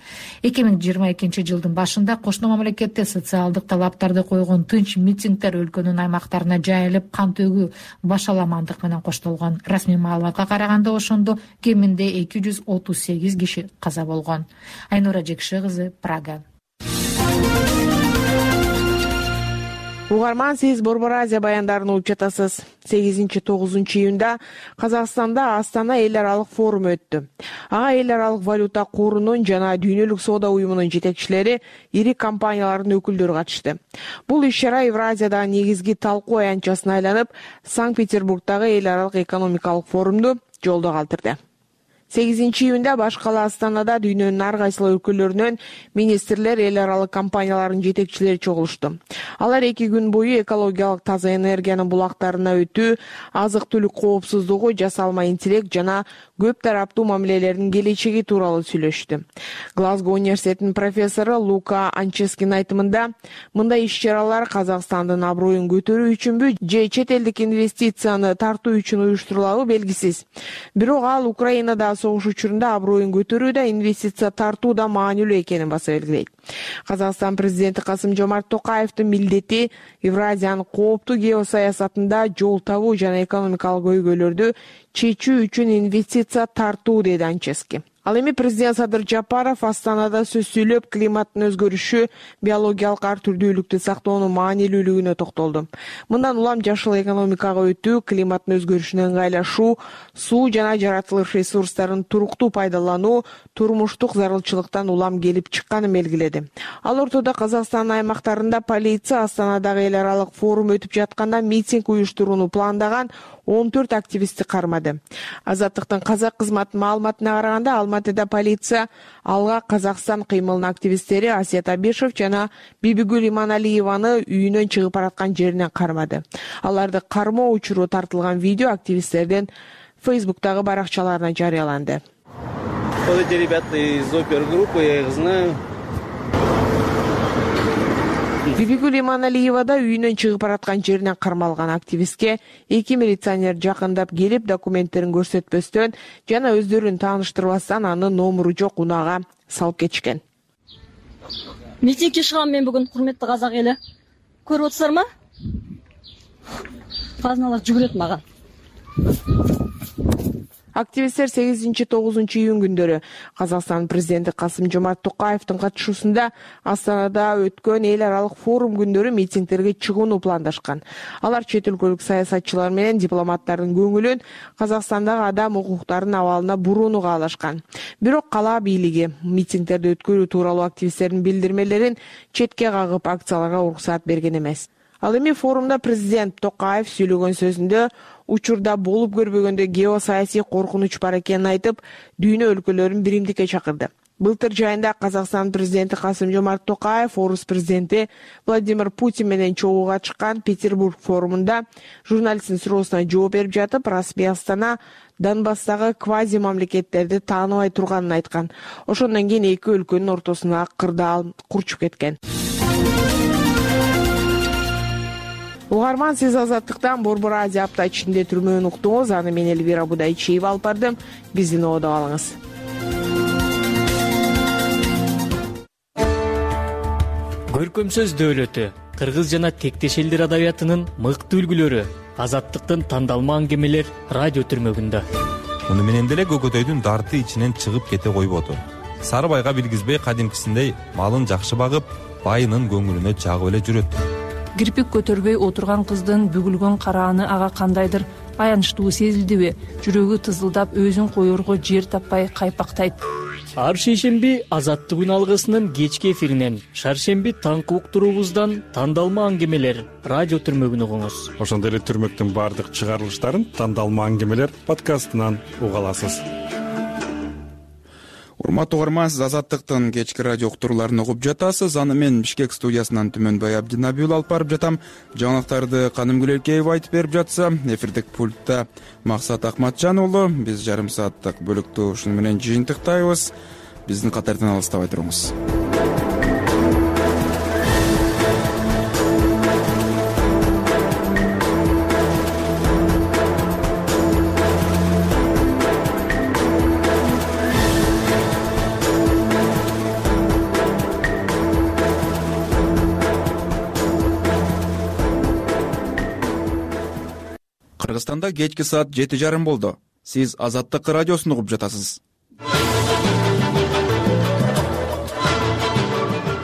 эки миң жыйырма экинчи жылдын башында кошуна мамлекетте социалдык талаптарды койгон тынч митингдер өлкөнүн аймактарына жайылып, кан төгүү, башаламандык менен коштолгон. Расмий маалыматка караганда ошондо кеминде эки жүз отуз сегиз киши каза болгон. Айнура Жекши кызы, Прага. Угарман, сиз Борбор Азия баяндарын угуп жатасыз. сегизинчи тогузунчу июнда Казакстанда Астана эл аралык форуму өттү. Ага эл аралык валюта корунун жана дүйнөлүк соода уюмунун жетекчилери, ири компаниялардын өкүлдөрү катышты. Бул иш-чара Евразиядагы негизги талкуу аянтчасына айланып, Санкт-Петербургдагы эл аралык экономикалык форумду жолдо калтырды. сегизинчи июнда баш кала Астанада дүйнөнүн ар кайсыл өлкөлөрүнөн министрлер, эл аралык компаниялардын жетекчилери чогулушту. Алар эки күн бою экологиялык таза энергиянын булактарына өтүү, азык-түлүк коопсуздугу, жасалма интеллект жана көп тараптуу мамилелердин келечеги тууралуу сүйлөштү. Глазго университетинин профессору Лука Анческинин айтымында, мындай иш-чаралар Казакстандын аброюн көтөрүү үчүнбү же чет элдик инвестицияны тартуу үчүн уюштурулабы белгисиз. Бирок ал Украинада согуш учурунда аброюн көтөрүүдө инвестиция тартууда маанилүү экенин баса белгилейт. Казакстан президенти Касым-Жомарт Токаевдин милдети Евразиянын кооптуу геосаясатында жол табуу жана экономикалык көйгөйлөрдү чечүү үчүн инвестиция тартуу, деди Анчески. Ал эми президент Садыр Жапаров Астанада сөз сүйлөп, климаттын өзгөрүшү, биологиялык ар түрдүүлүктү сактоонун маанилүүлүгүнө токтолду. Мындан улам жашыл экономикага өтүү, климаттын өзгөрүшүнө ыңгайлашуу, суу жана жаратылыш ресурстарын туруктуу пайдалануу турмуштук зарылчылыктан улам келип чыкканын белгиледи. Ал ортодо Казакстандын аймактарында полиция Астанадагы эл аралык форум өтүп жатканда митинг уюштурууну пландаган он төрт активистти кармады. Азаттыктын казак кызматынын маалыматына караганда, Алматыда полиция алга Казакстан кыймылынын активисттери Асет Абишев жана Бибигүл Иманалиеваны үйүнөн чыгып бараткан жеринен кармады. Аларды кармоо учуру тартылган видео активисттердин Фейсбуктагы баракчаларына жарыяланды. Эти ребята из опергруппы, я их знаю. Бибигүл Иманалиева да үйүнөн чыгып бараткан жеринен кармалган активистке эки милиционер жакындап келип, документтерин көрсөтпөстөн жана өздөрүн тааныштырбастан анын номуру жок унаага салып кетишкен. Митингге чыгам мен бүгүн, курметтүү казак эли. Көрүп атсызарбы? Казыналар жүгүрөт мага. Активисттер сегизинчи тогузунчу июнь күндөрү Казакстан президенти Касым-Жомарт Токаевдин катышуусунда Астанада өткөн эл аралык форум күндөрү митингтерге чыгууну пландашкан. Алар чет өлкөлүк саясатчылар менен дипломаттардын көңүлүн Казакстандагы адам укуктарынын абалына бурууну каалашкан. Бирок кала бийлиги митингтерди өткөрүү тууралуу активисттердин билдирмелерин четке кагып, акцияларга уруксаат берген эмес. Ал эми форумда президент Токаев сүйлөгөн сөзүндө учурда болуп көрбөгөндөй геосаясий коркунуч бар экенин айтып, дүйнө өлкөлөрүн биримдикке чакырды. Былтыр жайында Казакстан президенти Касым-Жомарт Токаев орус президенти Владимир Путин менен чогууга чыккан Петербург форумунда журналисттин суроосуна жооп берип жатып, расмий Астана Донбасстагы квази мамлекеттерди тааныбай турганын айткан. Ошондон кийин эки өлкөнүн ортосуна кырдаал курчуп кеткен. Угарман, сиз Азаттыктан Борбор Азия апта ичинде түрмөөнү уктуңуз. Аны мен Элвира Будайчиева алып бардым. Биздин оодо калыңыз. Көркөм сөз дөөлөтү, кыргыз жана тектеш элдер адабиятынын мыкты үлгүлөрү, Азаттыктын тандалма аңгемелер радио түрмөгүндө. Муну менен деле көкөтөйдүн дарты ичинен чыгып кете койбоду. Сары байга билгизбей кадимкисиндей малын жакшы багып, байынын көңүлүнө жагып эле жүрөт. Кирпик көтөрбөй отурган кыздын бүгүлгөн карааны ага кандайдыр аянычтуу сезилдиби? Жүрөгү тызылдап, өзүн коерго жер таппай кайпактайт. ар шейшемби Азаттык үн алгысынын кечки эфиринен, шаршемби таңкы уктуруубуздан тандалма аңгемелер радио түрмөгүн угуңуз. Ошондой эле түрмөктүн баардык чыгарылыштарын тандалма аңгемелер подкастынан уга аласыз. Урматтуу угарман, сиз Азаттыктын кечки радио уктурууларын угуп жатасыз. Аны мен Бишкек студиясынан Түмөнбай Абдинабиул алып барып жатам. Жаңылыктарды Канымгүл Элкеева айтып берип жатса, эфирдик пультта Максат Акматжан уулу. Биз жарым сааттык бөлүктү ушуну менен жыйынтыктайбыз. Биздин катардан алыстабай туруңуз. Кыргызстанда кечки саат жети жарым болду. Сиз Азаттык радиосун угуп жатасыз.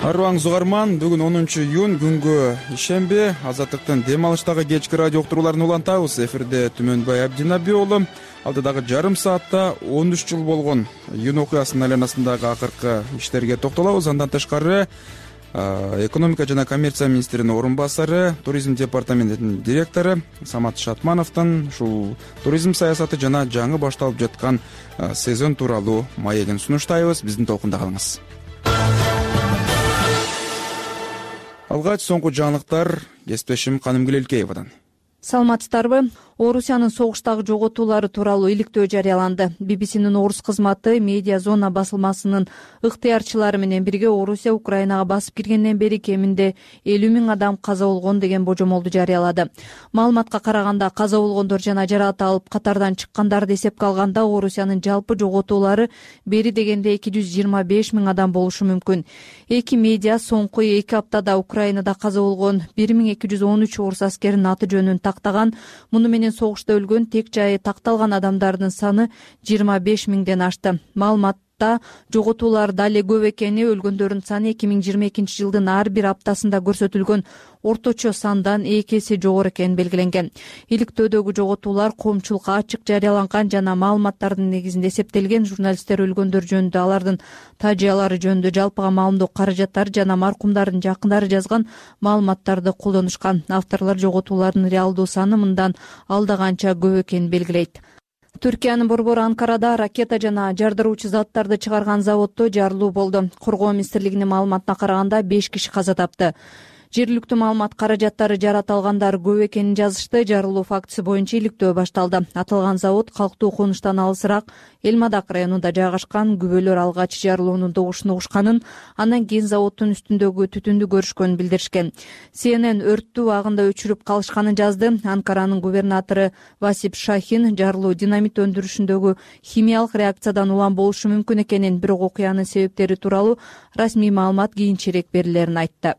Арыбаңыз угарман, бүгүн онунчу июнь күнгө ишемби. Азаттыктын дем алыштагы кечки радио уктурууларын улантабыз. Эфирде Түмөнбай Абдинаби уулу. Алдыдагы жарым саатта он үч жыл болгон июнь окуясынын айланасындагы акыркы иштерге токтолобуз. Андан тышкары экономика жана коммерция министринин орун басары, туризм департаментинин директору Самат Шатмановдун ушул туризм саясаты жана жаңы башталып жаткан сезон тууралуу маегин сунуштайбыз. Биздин толкунда калыңыз. Алгач соңку жаңылыктар кесиптешим Канымгүл Элкеевадан. Саламатсыздарбы? Орусиянын согуштагы жоготуулары тууралуу иликтөө жарыяланды. би би синин орус кызматы Медиа Зона басылмасынын ыктыярчылары менен бирге Орусия Украинага басып киргенден бери кеминде элүү миң адам каза болгон деген божомолду жарыялады. Маалыматка караганда каза болгондор жана жаракат алып катардан чыккандарды эсепке алганда Орусиянын жалпы жоготуулары бери дегенде эки жүз жыйырма беш миң адам болушу мүмкүн. Эки медиа соңку эки аптада Украинада каза болгон бир миң эки жүз он үч орус аскеринин аты жөнүн тактаган. Муну менен согушта өлгөн, тек жайы такталган адамдардын саны жыйырма беш миңден ашты. Маалыматта жоготуулар дале көп экени, өлгөндөрдүн саны эки миң жыйырма экинчи жылдын ар бир аптасында көрсөтүлгөн орточо сандан эки эсе жогору экени белгиленген. Иликтөөдөгү жоготуулар коомчулукка ачык жарыяланган жана маалыматтардын негизинде эсептелген. Журналисттер өлгөндөр жөнүндө, алардын тажыялары жөнүндө жалпыга маалымдоо каражаттары жана маркумдардын жакындары жазган маалыматтарды колдонушкан. Авторлор жоготуулардын реалдуу саны мындан алда канча көп экенин белгилейт. Түркиянын борбору Анкарада ракета жана жардыруучу заттарды чыгарган заводдо жарылуу болду. Коргоо министрлигинин маалыматына караганда беш киши каза тапты. Жергиликтүү маалымат каражаттары жараталгандар көп экенин жазышты. Жарылуу фактысы боюнча иликтөө башталды. Аталган завод калктуу конуштан алысыраак Элмадак районунда жайгашкан. Күбөлөр алгач жарылуунун добушун угушканын, андан кийин заводдун үстүндөгү түтүндү көрүшкөнүн билдиришкен. Си Эн Эн өрттү убагында өчүрүп калышканын жазды. Анкаранын губернатору Васип Шахин жарылуу динамит өндүрүшүндөгү химиялык реакциядан улам болушу мүмкүн экенин, бирок окуянын себептери тууралуу расмий маалымат кийинчерээк берилерин айтты.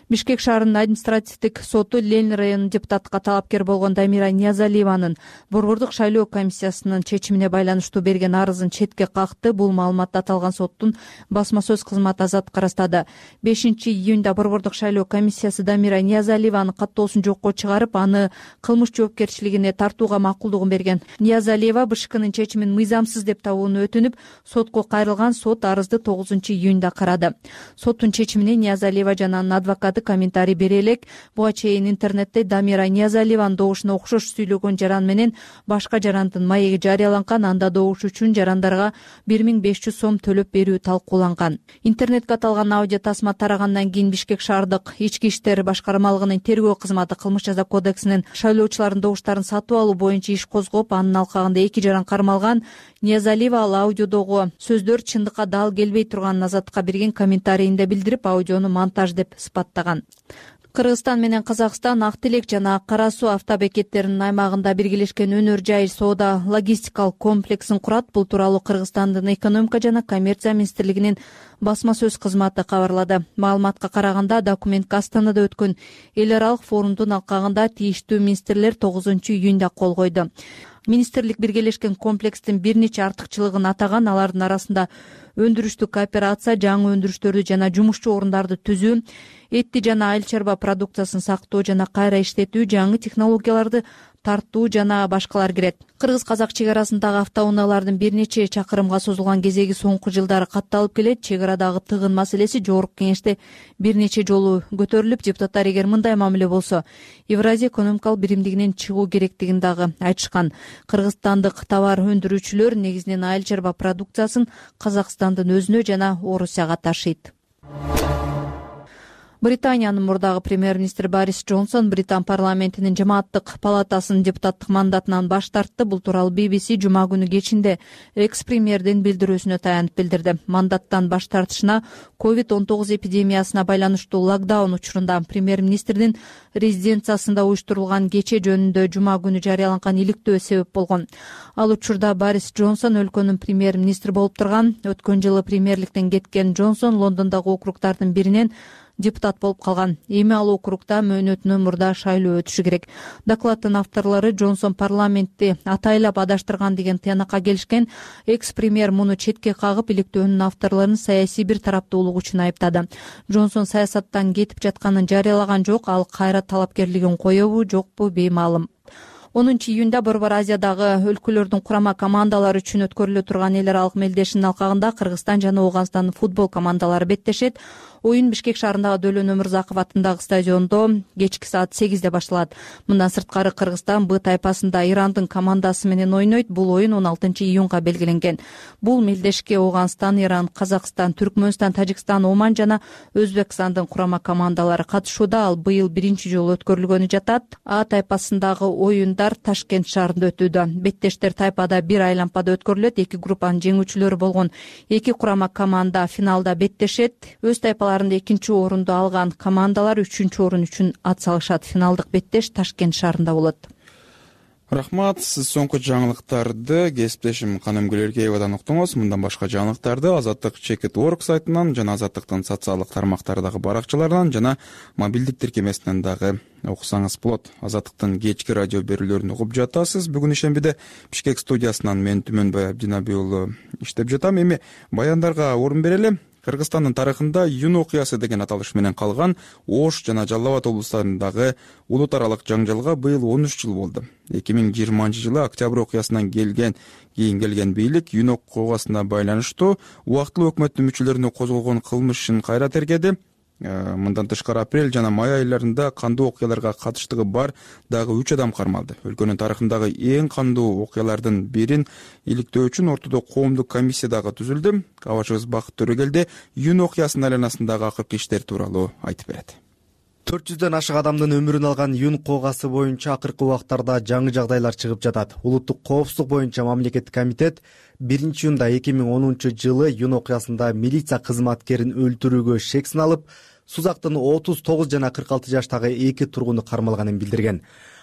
Бишкек шаарынын административдик соту Ленин районунун депутаттыкка талапкер болгон Дамира Ниязалиеванын борбордук шайлоо комиссиясынын чечимине байланыштуу берген арызын четке какты. Бул маалыматты аталган соттун басма сөз кызматы Азаттыкка ырастады. бешинчи июнда борбордук шайлоо комиссиясы Дамира Ниязалиеванын каттоосун жокко чыгарып, аны кылмыш жоопкерчилигине тартууга макулдугун берген. Ниязалиева Бэ Ш Кнын чечимин мыйзамсыз деп табууну өтүнүп, сотко кайрылган. Сот арызды тогузунчу июнда карады. Соттун чечимине Ниязалиева жана анын адвокаты комментарий бере элек. Буга чейин интернетте Дамира Ниязалиеванын добушуна окшош сүйлөгөн жаран менен башка жарандын маеги жарыяланган. Анда добуш үчүн жарандарга бир миң беш жүз сом төлөп берүү талкууланган. Интернетке аталган аудио тасма тарагандан кийин Бишкек шаардык ички иштер башкармалыгынын тергөө кызматы кылмыш жаза кодексинин шайлоочулардын добуштарын сатып алуу боюнча иш козгоп, анын алкагында эки жаран кармалган. Ниязалиева ал аудиодогу сөздөр чындыкка дал келбей турганын Азаттыкка берген комментарийинде билдирип, аудиону монтаж деп сыпаттаган. Кыргызстан менен Казакстан Ак Тилек жана Кара Суу автобекеттеринин аймагында биргелешкен өнөр жай соода логистикалык комплексин курат. Бул тууралуу Кыргызстандын экономика жана коммерция министрлигинин басма сөз кызматы кабарлады. Маалыматка караганда, документке Астанада өткөн эл аралык форумдун алкагында тийиштүү министрлер тогузунчу июнда кол койду. Министрлик биргелешкен комплекстин бир нече артыкчылыгын атаган. Алардын арасында өндүрүштүк кооперация, жаңы өндүрүштөрдү жана жумушчу орундарды түзүү, этти жана айыл чарба продукциясын сактоо жана кайра иштетүү, жаңы технологияларды тартуу жана башкалар кирет. Кыргыз-казак чек арасындагы автоунаалардын бир нече чакырымга созулган кезеги соңку жылдары катталып келет. Чек арадагы тыгын маселеси жогорку кеңеште бир нече жолу көтөрүлүп, депутаттар эгер мындай мамиле болсо Евразия экономикалык биримдигинен чыгуу керектигин дагы айтышкан. Кыргызстандык товар өндүрүүчүлөр негизинен айыл чарба продукциясын Казакстандын өзүнө жана Орусияга ташыйт. Британиянын мурдагы премьер-министри Борис Джонсон Британ парламентинин жамааттык палатасынын депутаттык мандатынан баш тартты. Бул тууралуу би би си жума күнү кечинде экс-премьердин билдирүүсүнө таянып билдирди. Мандаттан баш тартышына ковид он тогуз эпидемиясына байланыштуу локдаун учурунда премьер-министрдин резиденциясында уюштурулган кече жөнүндө жума күнү жарыяланган иликтөө себеп болгон. Ал учурда Борис Джонсон өлкөнүн премьер-министри болуп турган. Өткөн жылы премьерликтен кеткен Джонсон Лондондогу округдардын биринен депутат болуп калган. Эми ал округда мөөнөтүнөн мурда шайлоо өтүшү керек. Докладдын авторлору Джонсон парламентти атайлап адаштырган деген тыянакка келишкен. Экс-премьер муну четке кагып, иликтөөнүн авторлорун саясий бир тараптуулук үчүн айыптады. Джонсон саясаттан кетип жатканын жарыялаган жок. Ал кайра талапкерлигин коебу, жокпу беймаалым. онунчу июнда Борбор Азиядагы өлкөлөрдүн курама командалары үчүн өткөрүлө турган эл аралык мелдешинин алкагында Кыргызстан жана Ооганстандын футбол командалары беттешет. Оюн Бишкек шаарындагы Дөлөн Өмүрзаков атындагы стадиондо кечки саат сегизде башталат. Мындан сырткары Кыргызстан Б тайпасында Ирандын командасы менен ойнойт. Бул оюн он алтынчы июнга белгиленген. Бул мелдешке Ооганстан, Иран, Казакстан, Түркмөнстан, Тажикстан, Оман жана Өзбекстандын курама командалары катышууда. Ал быйыл биринчи жолу өткөрүлгөнү жатат. А тайпасындагы оюндар Ташкент шаарында өтүүдө. Беттештер тайпада бир айлампада өткөрүлөт. Эки группанын жеңүүчүлөрү болгон эки курама команда финалда беттешет. Өз тайпаларында экинчи орунду алган командалар үчүнчү орун үчүн ат салышат. Финалдык беттеш Ташкент шаарында болот. Рахмат. Сиз соңку жаңылыктарды кесиптешим Каным Гүлөргеевадан уктуңуз. Мындан башка жаңылыктарды Азаттык чекит точка орг сайтынан жана Азаттыктын социалдык тармактардагы баракчаларынан жана мобилдик тиркемесинен дагы окусаңыз болот. Азаттыктын кечки радио берүүлөрүн угуп жатасыз. Бүгүн ишембиде Бишкек студиясынан мен Түмөнбай Абдинаби уулу иштеп жатам. Эми баяндарга орун берели. Кыргызстандын тарыхында Юн окуясы деген аталыш менен калган Ош жана Жалал Абад облустарындагы улут аралык жаңжалга быйыл он үч жыл болду. эки миң жыйырманчы жылы октябрь окуясынан келген кийин келген бийлик Юн окуясына байланыштуу убактылуу өкмөттүн мүчөлөрүнө козголгон кылмыш ишин кайра тергеди. Мындан тышкары апрель жана май айларында кандуу окуяларга катыштыгы бар дагы үч адам кармалды. Өлкөнүн тарыхындагы эң кандуу окуялардын бирин иликтөө үчүн ортодо коомдук комиссия дагы түзүлдү. Кабачыбыз Бакыт Төрөгелди Юн окуясынын айланасындагы акыркы иштер тууралуу айтып берет. төрт жүздөн ашык адамдын өмүрүн алган Юн коогасы боюнча акыркы убактарда жаңы жагдайлар чыгып жатат. Улуттук коопсуздук боюнча мамлекеттик комитет биринчи июнда эки миң онунчу жылы Юн окуясында милиция кызматкерин өлтүрүүгө шек сыналып, Сузактын отуз тогуз жана кырк алты жаштагы эки тургуну кармалганын билдирген.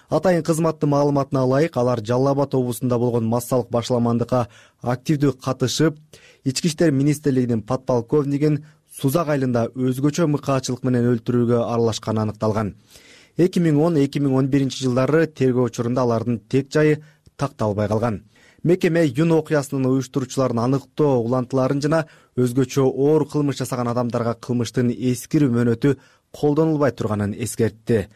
Атайын кызматтын маалыматына ылайык, алар Жалал Абад облусунда болгон массалык башаламандыкка активдүү катышып, Ички иштер министрлигинин подполковнигин Сузак айылында өзгөчө мыкаачылык менен өлтүрүүгө аралашканы аныкталган. эки миң он эки миң он биринчи жылдары тергөө учурунда алардын тек жайы такталбай калган. Мекеме Юн окуясынын уюштуруучуларын аныктоо улантууларын жана өзгөчө оор кылмыш жасаган адамдарга кылмыштын эскирүү мөөнөтү колдонулбай турганын эскертти.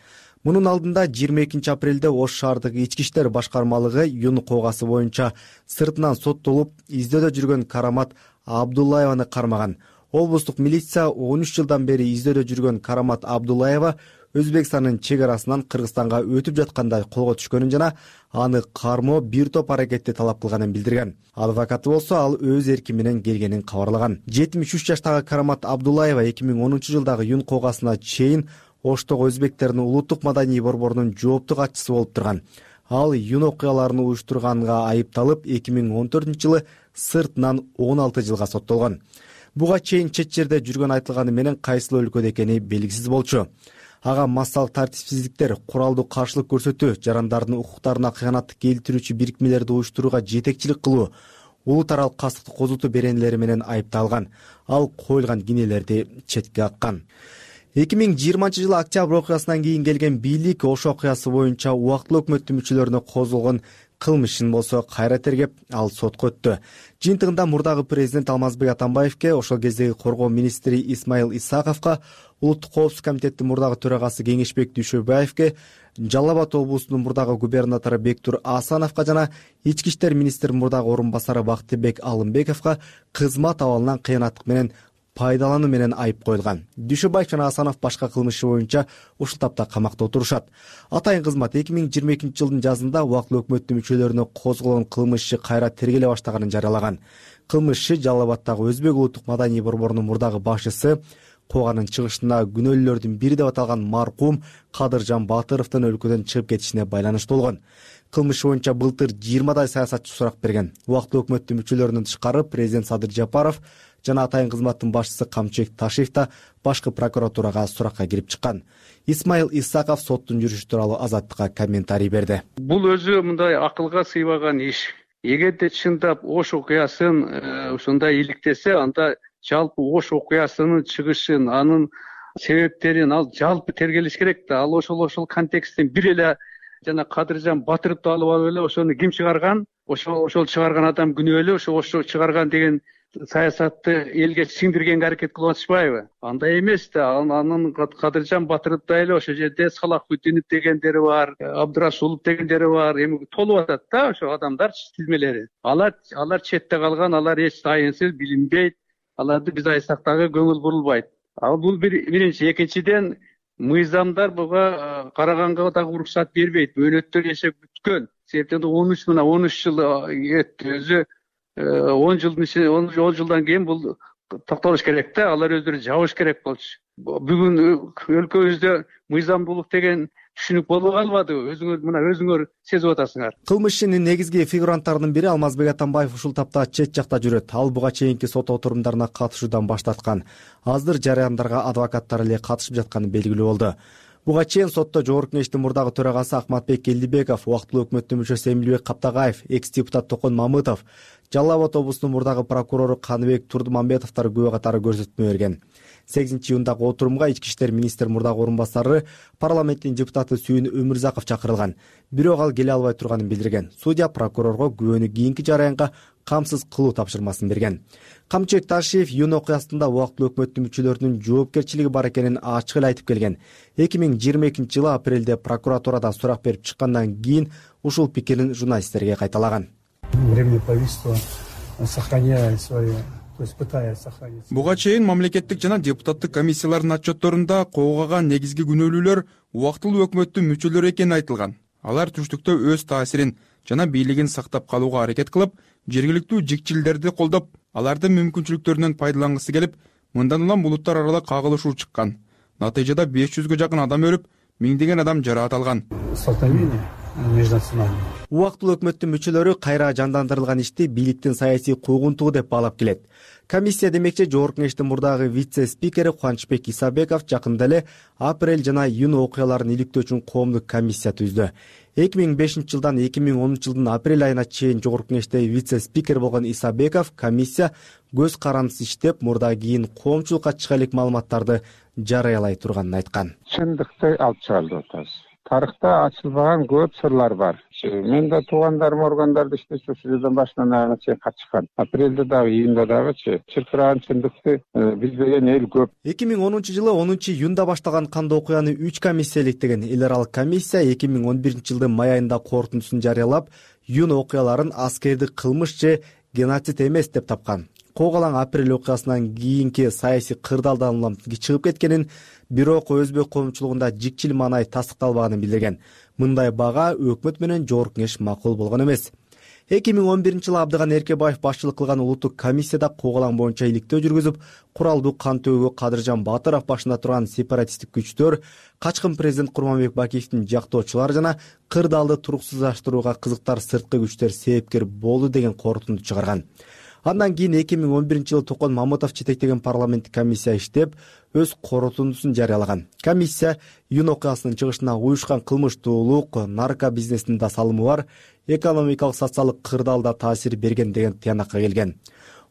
Мунун алдында жыйырма экинчи апрелде Ош шаардык ички иштер башкармалыгы Юн коогасы боюнча сыртынан соттолуп издөөдө жүргөн Карамат Абдуллаеваны кармаган. Облустук милиция он үч жылдан бери издөөдө жүргөн Карамат Абдуллаева Өзбекстандын чек арасынан Кыргызстанга өтүп жатканда колго түшкөнүн жана аны кармоо бир топ аракетти талап кылганын билдирген. Адвокаты болсо ал өз эрки менен келгенин кабарлаган. жетимиш үч жаштагы Карамат Абдуллаева эки миң онунчу жылдагы Юн коогасына чейин Оштогу өзбектердин улуттук маданий борборунун жооптуу катчысы болуп турган. Ал Юн окуяларын уюштурганга айыпталып, эки миң он төртүнчү жылы сыртынан он алты жылга соттолгон. Буга чейин чет жерде жүргөн айтылганы менен кайсыл өлкөдө экени белгисиз болчу. Ага массалык тартипсиздиктер, куралдуу каршылык көрсөтүү, жарандардын укуктарына кыянаттык келтирүүчү бирикмелерди уюштурууга жетекчилик кылуу, улут аралык кастыкты козутуу беренелери менен айыпталган. Ал коюлган кинелерди четке каккан. эки миң жыйырманчы жылы октябрь окуясынан кийин келген бийлик ошол окуясы боюнча убактылуу өкмөттүн мүчөлөрүнө козголгон кылмыш ишин болсо кайра тергеп, ал сотко өттү. Жыйынтыгында мурдагы президент Алмазбек Атамбаевке, ошол кездеги коргоо министри Исмаил Исаковго, Улуттук коопсуздук комитеттин мурдагы төрагасы Кеңешбек Дүйшөбаевке, Жалал Абад облусунун мурдагы губернатору Бектур Асановго жана ички иштер министринин мурдагы орун басары Бактыбек Алымбековго кызмат абалынан кыянаттык менен пайдалануу менен айып коюлган. Дүйшөбаев жана Асанов башка кылмыш боюнча ушул тапта камакта отурушат. Атайын кызмат эки миң жыйырма экинчи жылдын жазында убактылуу өкмөттүн мүчөлөрүнө козголгон кылмыш иши кайра тергеле баштаганын жарыялаган. Кылмыш иши Жалал Абаддагы Өзбек улуттук маданий борборунун мурдагы башчысы, Коганын чыгышында күнөөлүүлөрдүн бири деп аталган маркум Кадыржан Батыровдун өлкөдөн чыгып кетишине байланыштуу болгон. Кылмыш боюнча былтыр жыйырмадай саясатчы сурак берген. Убактылуу өкмөттүн мүчөлөрүнөн тышкары президент Садыр Жапаров жана атайын кызматтын башчысы Камчыбек Ташиев да башкы прокуратурага суракка кирип чыккан. Исмаил Исаков соттун жүрүшү тууралуу Азаттыкка комментарий берди. Бул өзү мындай акылга сыйбаган иш. Эгерде чындап Ош окуясын ушундай иликтесе, анда жалпы Ош окуясынын чыгышын, анын себептерин ал жалпы тергелиш керек да. Ал ошол ошол контексттен бир эле жана Кадыржан Батыровду алып алып эле ошону ким чыгарган, ошол ошол чыгарган адам күнөөлүү, ошо ошо чыгарган деген саясатты элге сиңдиргенге аракет кылып атышпайбы? Андай эмес да. Анын Кадыржан Батыровдой эле ошол жерде Салахутдинов дегендери бар, Абдырасулов дегендери бар, эми толуп атат да ошо адамдар тизмелери. Алар алар четте калган, алар эч тайынсыз, билинбейт. Аларды биз айтсак дагы көңүл бурулбайт. Ал бул биринчи. Экинчиден, мыйзамдар буга караганга дагы уруксат бербейт. Мөөнөттөр жашап бүткөн. Себептен он үч мына он үч жыл өттү. Өзү он жылдын ичинде он жылдан кийин бул токтолуш керек да. Алар өздөрү жабыш керек болчу. Бүгүн өлкөбүздө мыйзамдуулук деген түшүнүк болуп калбадыбы? Өзүңөр мына өзүңөр сезип атасыңар. Кылмыш ишинин негизги фигуранттарынын бири Алмазбек Атамбаев ушул тапта чет жакта жүрөт. Ал буга чейинки сот отурумдарына катышуудан баш тарткан. Аздыр жарыяндарга адвокаттар эле катышып жатканы белгилүү болду. Буга чейин сотто Жогорку Кеңештин мурдагы төрагасы Акматбек Элдибеков, убактылуу өкмөттүн мүчөсү Эмилбек Каптагаев, экс-депутат Токон Мамытов, Жалал Абад облусунун мурдагы прокурору Каныбек Турдумамбетовдор күбө катары көрсөтмө берген. сегизинчи июндагы отурумга ички иштер министринин мурдагы орун басары, парламенттин депутаты Сүйүн Өмүрзаков чакырылган. Бирок ал келе албай турганын билдирген. Судья прокурорго күбөнү кийинки жараянга камсыз кылуу тапшырмасын берген. Камчыбек Ташиев июнь окуясында убактылуу өкмөттүн мүчөлөрүнүн жоопкерчилиги бар экенин ачык эле айтып келген. эки миң жыйырма экинчи жылы апрелде прокуратурадан сурак берип чыккандан кийин ушул пикирин журналисттерге кайталаган. Временное правительство сохраняет свои, то есть пытается сохранить. Буга чейин мамлекеттик жана депутаттык комиссиялардын отчетторунда козголган негизги күнөөлүүлөр убактылуу өкмөттүн мүчөлөрү экени айтылган. Алар түштүктө өз таасирин жана бийлигин сактап калууга аракет кылып, жергиликтүү жикчилдерди колдоп, алардын мүмкүнчүлүктөрүнөн пайдалангысы келип, мындан улам булуттар аралык кагылышуу чыккан. Натыйжада беш жүзгө жакын адам өлүп, миңдеген адам жараат алган. Убактылуу өкмөттүн мүчөлөрү кайра жандандырылган ишти бийликтин саясий куугунтугу деп баалап келет. Комиссия демекчи Жогорку Кеңештин мурдагы вице-спикери Кубанычбек Исабеков жакында эле апрель жана июнь окуяларын иликтөө үчүн коомдук комиссия түздү. эки миң бешинчи жылдан эки миң онунчу жылдын апрель айына чейин Жогорку Кеңеште вице-спикер болгон Исабеков комиссия көз карандысыз иштеп, мурда кийин коомчулукка чыга элек маалыматтарды жарыялай турганын айткан. Чындыкты алып чыгарды атабыз. Тарыхта ачылбаган көп сырлар бар. Мен да туугандарым органдарда иштечү ушул жерден башынан аягына чейин катышкан. Апрелде дагы, июнда дагычы чыркыраган чындыкты билбеген эл көп. эки миң онунчу жылы онунчу июнда башталган кандуу окуяны үч комиссия иликтеген. Эл аралык комиссия эки миң он биринчи жылдын май айында корутундусун жарыялап, июнь окуяларын аскердик кылмыш же геноцид эмес деп тапкан. Когалаң апрель окуясынан кийинки саясий кырдаалдан улам чыгып кеткенин, бирок өзбек коомчулугунда жикчил маанай тастыкталбаганын билдирген. Мындай бага өкмөт менен Жогорку Кеңеш макул болгон эмес. эки миң он биринчи жылы Абдыган Эркебаев башчылык кылган улуттук комиссияда Когалаң боюнча иликтөө жүргүзүп, куралдуу кантөөгө Кадыржан Батыров башында турган сепаратисттик күчтөр, качкын президент Курманбек Бакиевдин жактоочулары жана кырдаалды туруксуздаштырууга кызыктар сырткы күчтөр себепкер болду деген корутунду чыгарган. Андан кийин эки миң он биринчи жылы Токон Мамытов жетектеген парламенттик комиссия иштеп, өз корутундусун жарыялаган. Комиссия июнь окуясынын чыгышына уюшкан кылмыштуулук, нарко бизнесинин да салымы бар, экономикалык социалдык кырдаалда таасир берген деген тыянакка келген.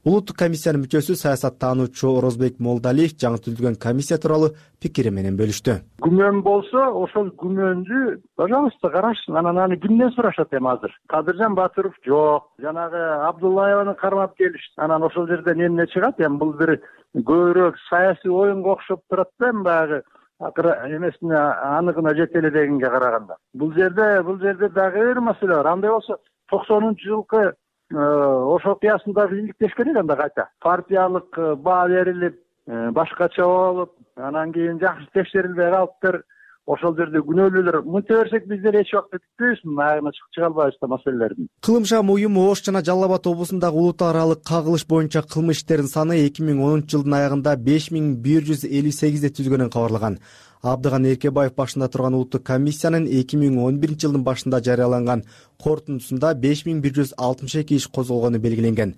Улуттук комиссиянын мүчөсү саясаттануучу Орозбек Молдалиев жаңы түзүлгөн комиссия тууралуу пикири менен бөлүштү. Күмөн болсо, ошол күмөндү пожалуйста карашсын, анан аны кимден сурашат эми азыр? Кадыржан Батыров жок, жанагы Абдуллаеваны кармап келишти. Анан ошол жерден эмне чыгат? Эми бул бир көбүрөөк саясий оюнга окшоп турат да, эми баягы акыры эмесине аныгына жете эле дегенге караганда. Бул жерде, бул жерде дагы бир маселе бар. Андай болсо токсонунчу жылкы Ош окуясында иликтеш керек анда кайта. Партиялык баа берилип, башкача болуп, анан кийин жакшы текшерилбей калыптыр. Ошол жерде күнөөлүүлөр мынтип берсек биздер эч убакта бүтпөйбүз, аягына чыга албайбыз да маселелердин. Кылымшам уюму Ош жана Жалал Абад облусундагы улут аралык кагылыш боюнча кылмыш иштердин саны эки миң онунчу жылдын аягында беш миң бир жүз элүү сегизди түзгөнүн кабарлаган. Абдыган Эркебаев башында турган улуттук комиссиянын эки миң он биринчи жылдын башында жарыяланган корутундусунда беш миң бир жүз алтымыш эки иш козголгону белгиленген.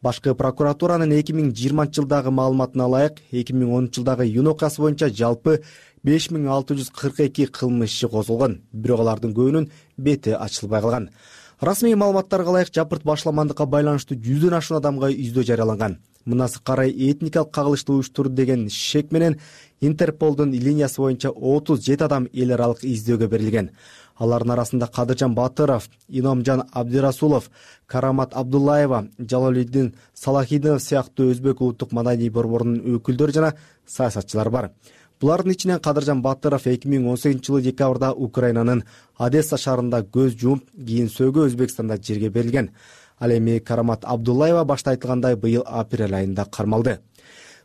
Башкы прокуратуранын эки миң жыйырманчы жылдагы маалыматына ылайык, эки миң онунчу жылдагы июнь окуясы боюнча жалпы беш миң алты жүз кырк эки кылмыш иши козголгон, бирок алардын көбүнүн бети ачылбай калган. Расмий маалыматтарга ылайык жапырт башламандыкка байланыштуу жүздөн ашуун адамга издөө жарыяланган. Мынасы карай этникалык кагылышты уюштурду деген шек менен Интерполдун линиясы боюнча отуз жети адам эл аралык издөөгө берилген. Алардын арасында Кадыржан Батыров, Иномжан Абдирасулов, Карамат Абдуллаева, Жалалиддин Салахидинов сыяктуу өзбек улуттук маданий борборунун өкүлдөрү жана саясатчылар бар. Булардын ичинен Кадыржан Батыров эки миң он сегизинчи жылы декабрда Украинанын Одесса шаарында көз жумуп, кийин сөөгө Өзбекстанда жерге берилген. Ал эми Карамат Абдуллаева башта айтылгандай быйыл апрель айында кармалды.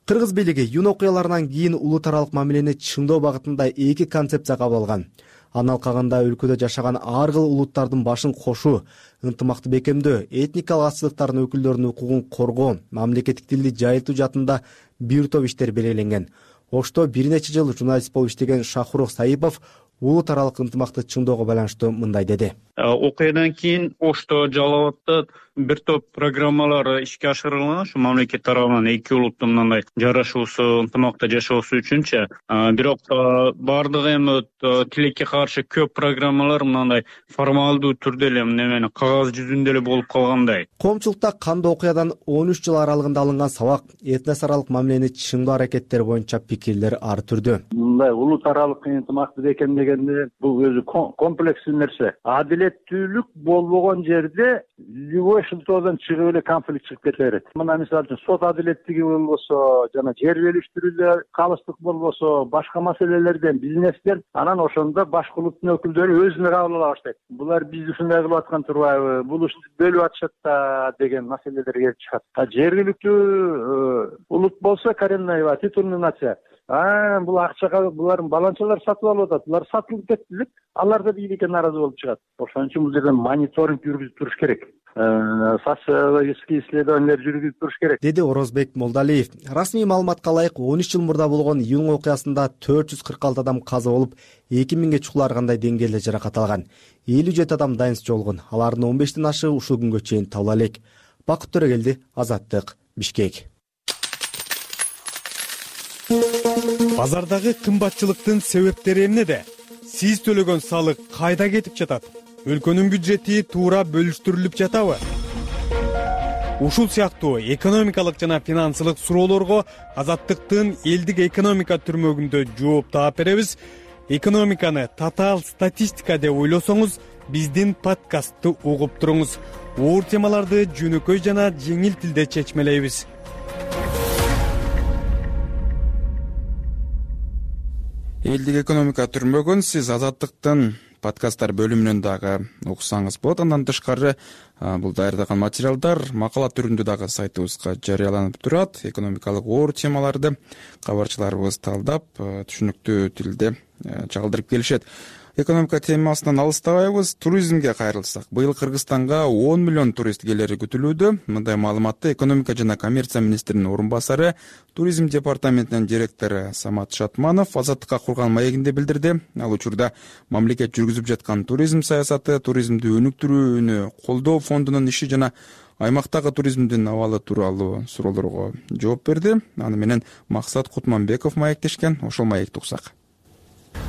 Кыргыз бийлиги июнь окуяларынан кийин улут аралык мамилени чыңдоо багытында эки концепция кабыл алган. Анын алкагында өлкөдө жашаган ар кыл улуттардын башын кошуу, ынтымакты бекемдөө, этникалык азчылыктардын өкүлдөрүнүн укугун коргоо, мамлекеттик тилди жайылтуу жаатында бир топ иштер белгиленген. Ошто бир нече жыл журналист болуп иштеген Шахуров Саипов улут аралык ынтымакты чыңдоого байланыштуу мындай деди. Окуядан кийин Ошто, Жалал Абадта бир топ программалар ишке ашырылган. Ушу мамлекет тарабынан эки улуттун мындай жарашуусу, ынтымакта жашоосу үчүнчү. Бирок бардыгы эми тилекке каршы көп программалар мындай формалдуу түрдө эле немени кагаз жүзүндө эле болуп калгандай. Коомчулукта кандуу окуядан он үч жыл аралыгында алынган сабак, этнос аралык мамилени чыңдоо аракеттери боюнча пикирлер ар түрдүү. Мындай улут аралык ынтымакты бекемдегенде бул өзү комплекстүү нерсе. Адилеттүүлүк болбогон жерде любой шылтоодон чыгып эле конфликт чыгып кете берет. Мына мисалы үчүн сот адилеттиги болбосо, жана жер бөлүштүрүүдө калыстык болбосо, башка маселелерден, бизнестен, анан ошондо башка улуттун өкүлдөрү өзүнө кабыл ала баштайт. Булар биз ушундай кылып аткан турбайбы, бул ушинтип бөлүп атышат да деген маселелер келип чыгат. Жергиликтүү улут болсо коренная титульный нация. А, бул акчага булардын баланчалар сатып алып атат. Булар сатылып кетти деп, алар да бийликке нааразы болуп чыгат. Ошон үчүн бул жерден мониторинг жүргүзүп туруш керек. Социологический исследованиялер жүргүзүп туруш керек, деди Орозбек Молдалиев. Расмий маалыматка ылайык он үч жыл мурда болгон июнь окуясында төрт жүз кырк алты адам каза болуп, эки миңге чукуларгандай деңгээлде жаракат алган. элүү жети адам дайынсыз жоолгон. Алардын он бештен ашы ушул күнгө чейин табыла элек. Бакыт Төрөгелди, Азаттык, Бишкек. Базардагы кымбатчылыктын себептери эмнеде? Сиз төлөгөн салык кайда кетип жатат? Өлкөнүн бюджети туура бөлүштүрүлүп жатабы? Ушул сыяктуу экономикалык жана финансылык суроолорго Азаттыктын элдик экономика түрмөгүндө жооп таап беребиз. Экономиканы татаал статистика деп ойлосоңуз, биздин подкастты угуп туруңуз. Оор темаларды жөнөкөй жана жеңил тилде чечмелейбиз. Элдик экономика түрмөгүн сиз Азаттыктын подкасттар бөлүмүнөн дагы уксаңыз болот. Андан тышкары бул даярдаган материалдар макала түрүндө дагы сайтыбызга жарыяланып турат. Экономикалык оор темаларды кабарчыларыбыз талдап, түшүнүктүү тилде чагылдырып келишет. Экономика темасынан алыстабайбыз, туризмге кайрылсак. Быйыл Кыргызстанга он миллион турист келери күтүлүүдө. Мындай маалыматты экономика жана коммерция министринин орун басары, туризм департаментинин директору Самат Шатманов Азаттыкка курган маегинде билдирди. Ал учурда мамлекет жүргүзүп жаткан туризм саясаты, туризмди өнүктүрүүнү колдоо фондунун иши жана аймактагы туризмдин абалы тууралуу суроолорго жооп берди. Аны менен Максат Кутманбеков маектешкен. Ошол маекти уксак.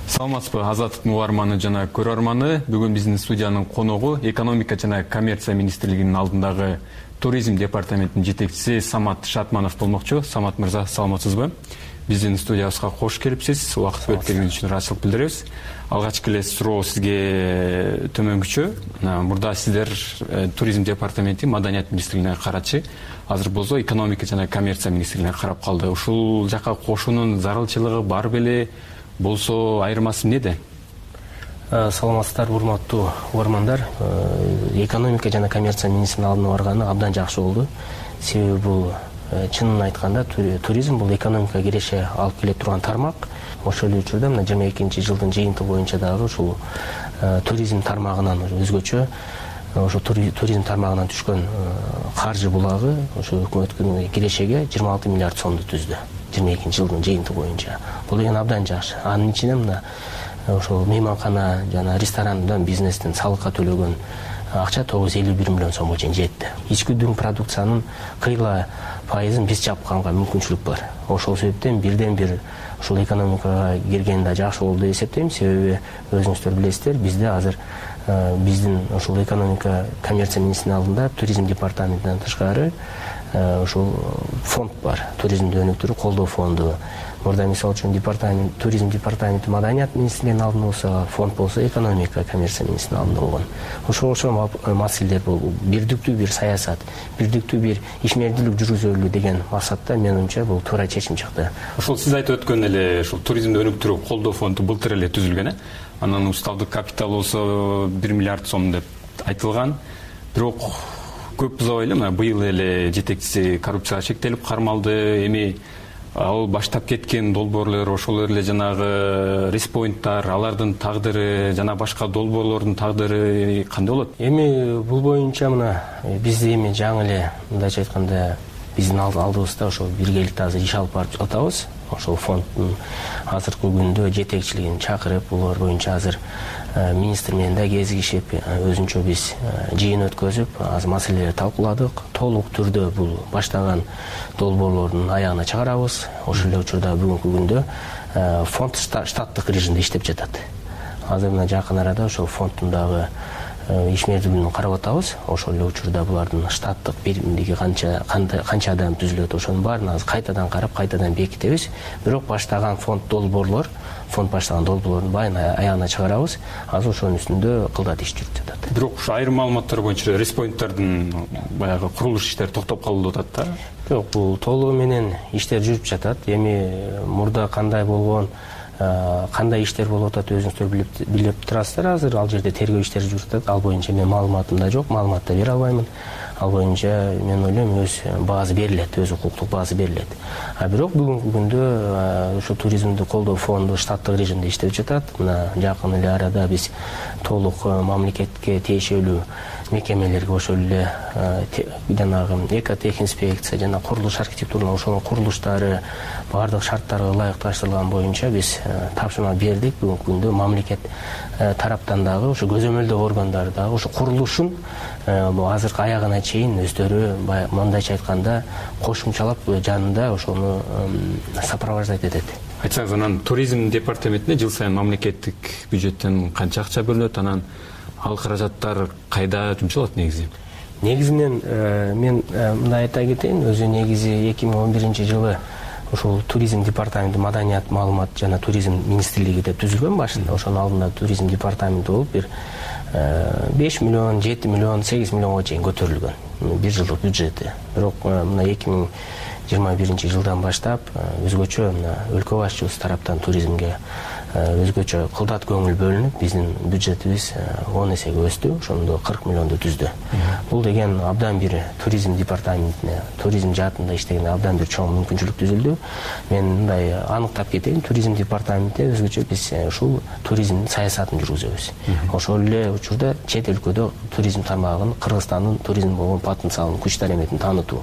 саламатсызбы азаттыктын угарманы жана көрөрманы. Бүгүн биздин студиянын коногу экономика жана коммерция министрлигинин алдындагы туризм департаментинин жетекчиси Самат Шатманов болмокчу. Самат мырза, саламатсызбы? Биздин студиябызга кош келипсиз. Убакыт бөлүп бергениңиз үчүн ыраазычылык билдиребиз. Алгачкы эле суроо сизге төмөнкүчө. Мурда сиздер туризм департаменти маданият министрлигине карачы, азыр болсо экономика жана коммерция министрлигине карап калды. Ушул жака кошуунун зарылчылыгы бар беле? Болсо айырмасы эмнеде? Саламатсыздар, урматтуу угармандар. Экономика жана коммерция министринин алдына барганы абдан жакшы болду. Себеби бул чынын айтканда туризм бул экономикага киреше алып келе турган тармак. Ошол эле учурда мына жыйырма экинчи жылдын жыйынтыгы боюнча дагы ушул туризм тармагынан өзгөчө ошо туризм тармагынан түшкөн каржы булагы ошо өкмөттүн кирешеге жыйырма алты миллиард сомду түздү. жыйырма экинчи жылдын жыйынтыгы боюнча. Бул деген абдан жакшы. Анын ичинде мына ошол мейманкана жана ресторандан бизнестин салыкка төлөгөн акча тогуз жүз элүү бир миллион сомго чейин жетти. Ички дүң продукциянын кыйла пайызын биз чапканга мүмкүнчүлүк бар. Ошол себептен бирден бир ушул экономикага кирген да жакшы болду деп эсептейм. Себеби өзүңүздөр билесиздер, бизде азыр биздин ушул экономика коммерция министринин алдында туризм департаментинен тышкары ушул фонд бар. Туризмди өнүктүрүү колдоо фонду. Мурда мисалы үчүн департамент туризм департаменти маданият министрлигинин алдында болсо, фонд болсо экономика коммерция министринин алдында болгон. Ошол ошол маселелер бул бирдиктүү бир саясат, бирдиктүү бир ишмердүүлүк жүргүзөлү деген максатта мен оюмча бул туура чечим чыкты. Ошол сиз айтып өткөн эле ушул туризмди өнүктүрүү колдоо фонду былтыр эле түзүлгөн, э? Анан уставдык капитал болсо бир миллиард сом деп айтылган. Бирок көп узабай эле мына быйыл эле жетекчиси коррупцияга шектелип кармалды. Эми ал баштап кеткен долбоорлор, ошол эле жанагы респоинттар, алардын тагдыры жана башка долбоорлордун тагдыры кандай болот? Эми бул боюнча мына биз эми жаңы эле мындайча айтканда биздин алдыбызда ошол биргеликте азыр иш алып барып атабыз. Ошол фонддун азыркы күндө жетекчилигин чакырып, булар боюнча азыр министр менен да кезигишип, өзүнчө биз жыйын өткөзүп, аз маселелерди талкууладык. Толук түрдө бул баштаган долбоорлордун аягына чыгарабыз. Ошол эле учурда бүгүнкү күндө фонд штаттык режимде иштеп жатат. Азыр мына жакын арада ошол фонддун дагы ишмердүүлүгүн карап атабыз. Ошол эле учурда булардын штаттык биримдиги канча канча адам түзүлөт, ошонун баарын азыр кайтадан карап, кайтадан бекитебиз. Бирок баштаган фонд долбоорлор, фонд баштаган долбоорлордун баарын аягына чыгарабыз. Азыр ошонун үстүндө кылдат иш жүрүп жатат. Бирок ушу айрым маалыматтар боюнча респоинттардын баягы курулуш иштери токтоп калды деп атат да? Жок, бул толугу менен иштер жүрүп жатат. Эми мурда кандай болгон, кандай иштер болуп атат өзүңүздөр билип билип турасыздар. Азыр ал жерде тергөө иштери жүрүп жатат. Ал боюнча мен маалыматым да жок, маалымат да бере албаймын. Ал боюнча мен ойлойм өз баасы берилет, өз укуктук баасы берилет. А бирок бүгүнкү күндө ушу туризмди колдоо фонду штаттык режимде иштеп жатат. Мына жакын эле арада биз толук мамлекетке тиешелүү мекемелерге ошол эле жанагы экотехинспекция жана курулуш архитектуралык ошонун курулуштары баардык шарттарга ылайыкташтырылган боюнча биз тапшырма бердик. Бүгүнкү күндө мамлекет тараптан дагы ошо көзөмөлдөө органдары дагы ошо курулушун азыркы аягына чейин өздөрү мындайча айтканда кошумчалап жанында ошону сопровождать этет. Айтсаңыз, анан туризм департаментине жыл сайын мамлекеттик бюджеттен канча акча бөлүнөт, анан ал каражаттар кайда жумшалат негизи? Негизинен мен мындай айта кетейин, өзү негизи эки миң он биринчи жылы ошол туризм департаменти маданият, маалымат жана туризм министрлиги деп түзүлгөн башында. Ошонун алдында туризм департаменти болуп бир беш миллион, жети миллион, сегиз миллионго чейин көтөрүлгөн бир жылдык бюджети. Бирок мына эки миң жыйырма биринчи жылдан баштап өзгөчө мына өлкө башчыбыз тараптан туризмге өзгөчө кылдат көңүл бөлүнүп, биздин бюджетибиз он эсеге өстү, ошондо кырк миллионду түздү. Бул деген абдан бир туризм департаментине, туризм жаатында иштегенде абдан бир чоң мүмкүнчүлүк түзүлдү. Мен мындай аныктап кетейин, туризм департаментинде өзгөчө биз ушул туризмдин саясатын жүргүзөбүз. Ошол эле учурда чет өлкөдө туризм тармагын, Кыргызстандын туризм болгон потенциалын, күч дараметин таанытуу.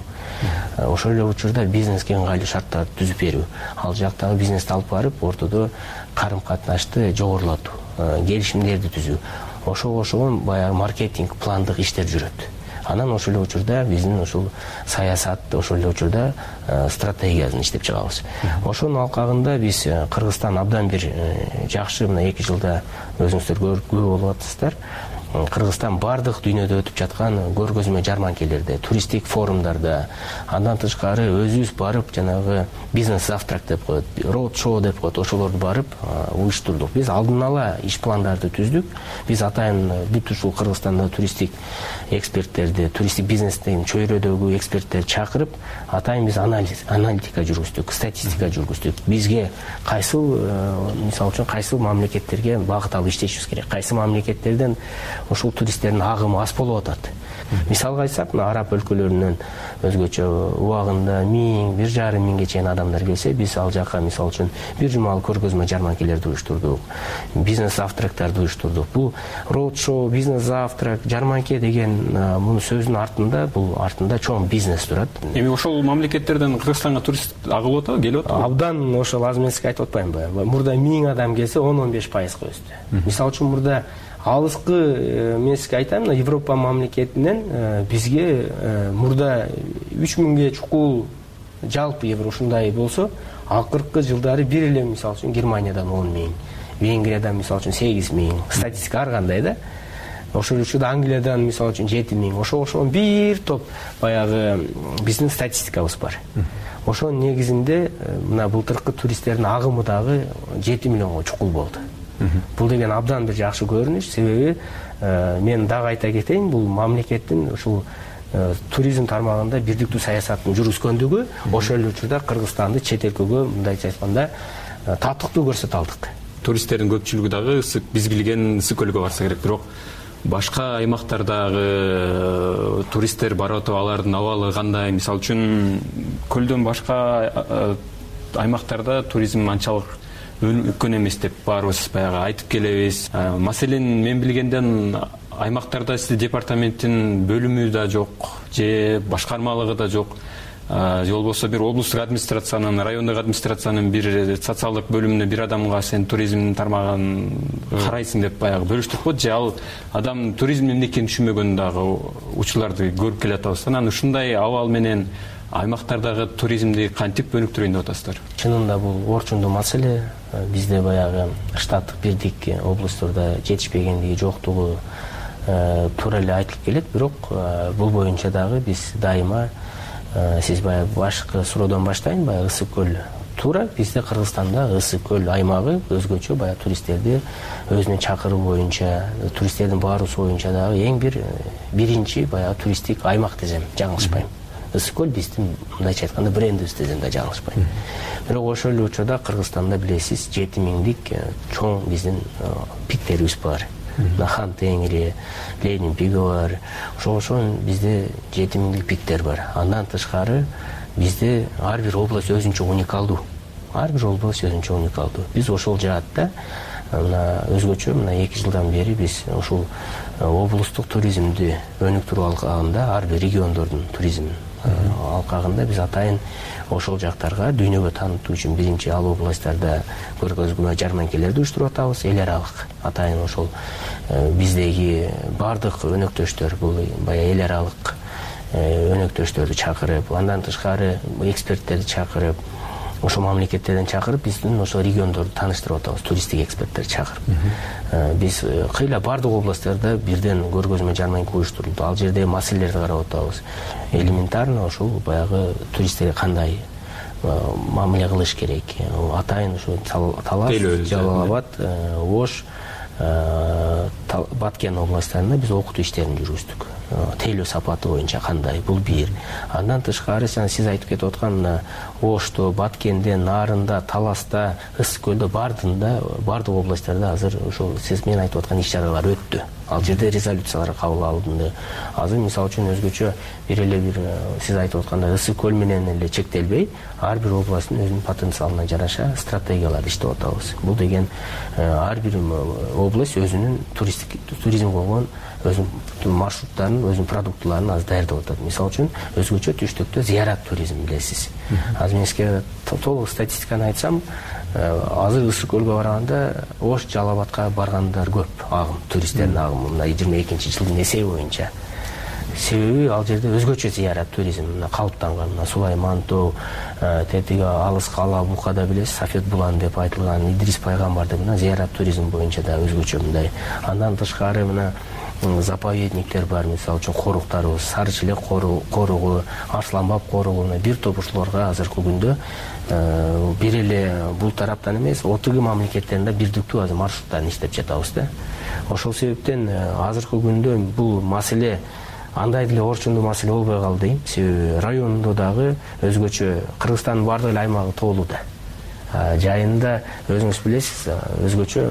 Ошол эле учурда бизнеске ыңгайлуу шарттарды түзүп берүү, ал жактагы бизнести алып барып ортодо карым-катнашты жогорулатуу, келишимдерди түзүү. Ошого ошого баягы маркетинг пландык иштер жүрөт. анан ошол эле учурда биздин ушул саясат ошол эле учурда стратегиясын иштеп чыгабыз. Ошонун алкагында биз Кыргызстан абдан бир жакшы мына эки жылда өзүңүздөр күбө болуп атасыздар. Кыргызстан бардык дүйнөдө өтүп жаткан көргөзмө жарманкелерде, туристтик форумдарда, андан тышкары өзүбүз барып жанагы бизнес завтрак деп коет, роуд шоу деп коет, ошолорду барып уюштурдук. Биз алдын ала иш пландарды түздүк. Биз атайын бүт ушул Кыргызстанда туристтик эксперттерди, туристтик бизнестин чөйрөдөгү эксперттерди чакырып, атайын биз анализ, аналитика жүргүздүк, статистика жүргүздүк. Бизге кайсыл, мисалы үчүн кайсыл мамлекеттерге багыт алып иштешибиз керек, кайсы мамлекеттерден ушул туристтердин агымы аз болуп атат. Мисалга айтсак, араб өлкөлөрүнөн өзгөчө убагында миң, бир жарым миңге чейин адамдар келсе, биз ал жака мисалы үчүн бир жумалык көргөзмө жарманкелерди уюштурдук, бизнес завтрактарды уюштурдук. Бул роуд шоу, бизнес завтрак, жарманке деген мунун сөзүнүн артында, бул артында чоң бизнес турат. Эми ошол мамлекеттерден Кыргызстанга турист агылып атабы, келип атабы? Абдан ошол аз эмеске айтып атпаймынбы? Мурда миң адам келсе, он он беш пайызга өстү. Мисалы үчүн мурда алыскы эмеске айтайын, Европа мамлекетинен бизге мурда үч миңге чукул жалпы евро ушундай болсо, акыркы жылдары бир эле мисалы үчүн Германиядан он миң, Венгриядан мисалы үчүн сегиз миң, статистика ар кандай да. Ошол учурда Англиядан мисалы үчүн жети миң, ошо ошон бир топ баягы биздин статистикабыз бар. Ошонун негизинде мына былтыркы туристтердин агымы дагы жети миллионго чукул болду. Бул деген абдан бир жакшы көрүнүш, себеби мен дагы айта кетейин, бул мамлекеттин ушул туризм тармагында бирдиктүү саясаттын жүргүзгөндүгү ошол эле учурда Кыргызстанды чет өлкөгө мындайча айтканда татыктуу көрсөтө алдык. Туристтердин көпчүлүгү дагы биз билген Ысык көлгө барса керек, бирок башка аймактардагы туристтер барып атып, алардын абалы кандай? Мисалы үчүн көлдөн башка аймактарда туризм анчалык үлкөн эмес деп баарыбыз баягы айтып келебиз. Маселен, мен билгенден аймактарда сиздин департаменттин бөлүмү да жок, же башкармалыгы да жок. Же болбосо бир облустук администрациянын, райондук администрациянын бир социалдык бөлүмүнө бир адамга сен туризмдин тармагын карайсың деп баягы бөлүштүрүп коет, же ал адам туризм эмне экенин түшүнбөгөн дагы учурларды көрүп келатабыз. Анан ушундай абал менен аймактардагы туризмди кантип өнүктүрөйүн деп атасыздар? Чынында бул орчундуу маселе. Бизде баягы штаттык бирдик облустарда жетишпегендиги, жоктугу туура эле айтылып келет, бирок бул боюнча дагы биз дайыма, сиз баягы башкы суроодон баштайын, баягы Ысык көл туура, бизде Кыргызстанда Ысык көл аймагы өзгөчө баягы туристтерди өзүнө чакыруу боюнча, туристтердин баарысы боюнча дагы эң бир биринчи баягы туристтик аймак десем жаңылышпайм. Ысык көл биздин мындайча айтканда брендибиз десем да жаңылышпайм. Бирок ошол эле учурда Кыргызстанда билесиз жети миңдик чоң биздин пиктерибиз бар. Хан Теңири, Ленин пиги бар. Ошол ошон бизде жети миңдик пиктер бар. Андан тышкары бизде ар бир область өзүнчө уникалдуу. Ар бир область өзүнчө уникалдуу. Биз ошол жаатта мына өзгөчө мына эки жылдан бери биз ушул облустук туризмди өнүктүрүү алкагында, ар бир региондордун туризм алкагында биз атайын ошол жактарга дүйнөгө таанытуу үчүн биринчи ал областтарда көргөзмө жарманкелерди уюштуруп атабыз. Эл аралык атайын ошол биздеги бардык өнөктөштөр, бул баягы эл аралык өнөктөштөрдү чакырып, андан тышкары эксперттерди чакырып, ошол мамлекеттерден чакырып, биздин ошол региондорду тааныштырып атабыз, туристтик эксперттерди чакырып. Биз кыйла бардык областтарда бирден көргөзмө жарманке уюштурулду. Ал жерде маселелерди карап атабыз. Элементарно ошол баягы туристтерге кандай мамиле кылыш керек. Атайын ушул Талас, Жалал Абад, Ош, Баткен областтарында биз окутуу иштерин жүргүздүк. Тейлөө сапаты боюнча кандай, бул бир. Андан тышкары сиз айтып кетип аткан Ошто, Баткенде, Нарында, Таласта, Ысык көлдө бардында, бардык областтарда азыр ошол сиз мен айтып аткан иш-чаралар өттү. Ал жерде резолюциялар кабыл алынды. Азыр мисалы үчүн өзгөчө бир эле бир сиз айтып аткандай Ысык көл менен эле чектелбей, ар бир областтын өзүнүн потенциалына жараша стратегияларды иштеп атабыз. Бул деген ар бир область өзүнүн туристтик туризм болгон өзүнүн маршруттарын, өзүнүн продуктыларын азыр даярдап атат. Мисалы үчүн өзгөчө түштүктө зыярат туризм билесиз. Азыр мен сизге толук статистиканы айтсам, азыр Ысык көлгө барганда Ош, Жалал Абадка баргандар көп, агым, туристтердин агымы мына жыйырма экинчи жылдын эсеби боюнча. себеби ал жерде өзгөчө зыярат туризм мына калыптанган. Мына Сулайман тоо, тетиги алыс кала Букада билесиз, Сафет булан деп айтылган Идрис пайгамбарды мына зыярат туризм боюнча да өзгөчө мындай. Андан тышкары мына заповедниктер бар, мисалы үчүн коруктарыбыз, Сары Челек коругу, Арсланбаб коругу, бир топ ушуларга азыркы күндө бир эле бул тараптан эмес, отугу мамлекеттеринде бирдиктүү азыр маршруттарын иштеп жатабыз да. Ошол себептен азыркы күндө бул маселе андай деле орчундуу маселе болбой калды дейм. Себеби райондо дагы өзгөчө Кыргызстандын баардык эле аймагы тоолуу да. Жайында өзүңүз билесиз, өзгөчө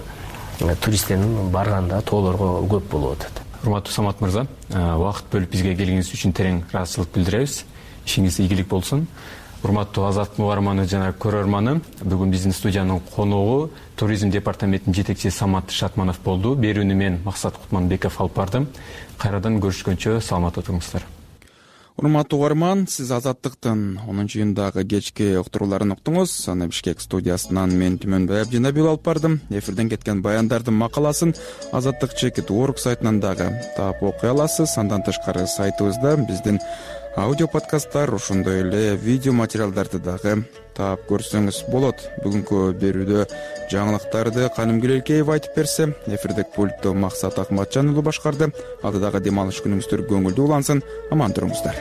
туристтердин барганда тоолорго көп болуп атат. Урматтуу Самат мырза, убакыт бөлүп бизге келгениңиз үчүн терең ыраазычылык билдиребиз. Ишиңиз ийгилик болсун. Урматтуу Азаттык угарманы жана көрөрманы, бүгүн биздин студиянын конугу туризм департаментинин жетекчиси Самат Шатманов болду. Берүүнү мен Максат Кутманбеков алып бардым. Кайрадан көрүшкөнчө саламатта туруңуздар. Урматтуу угарман, сиз Азаттыктын онунчу июндагы кечки уктурууларын уктуңуз. Аны Бишкек студиясынан мен Түмөнбай Абдинабил алып бардым. Эфирден кеткен баяндардын макаласын Азаттык чекит точка орг сайтынан дагы таап окуй аласыз. Андан тышкары сайтыбызда биздин аудио подкасттар, ошондой эле видео материалдарды дагы таап көрсөңүз болот. Бүгүнкү берүүдө жаңылыктарды Каным Гүлелкеева айтып берсе, эфирдик пультту Максат Акматжан уулу башкарды. Алдыдагы дем алыш күнүңүздөр көңүлдүү улансын. Аман туруңуздар.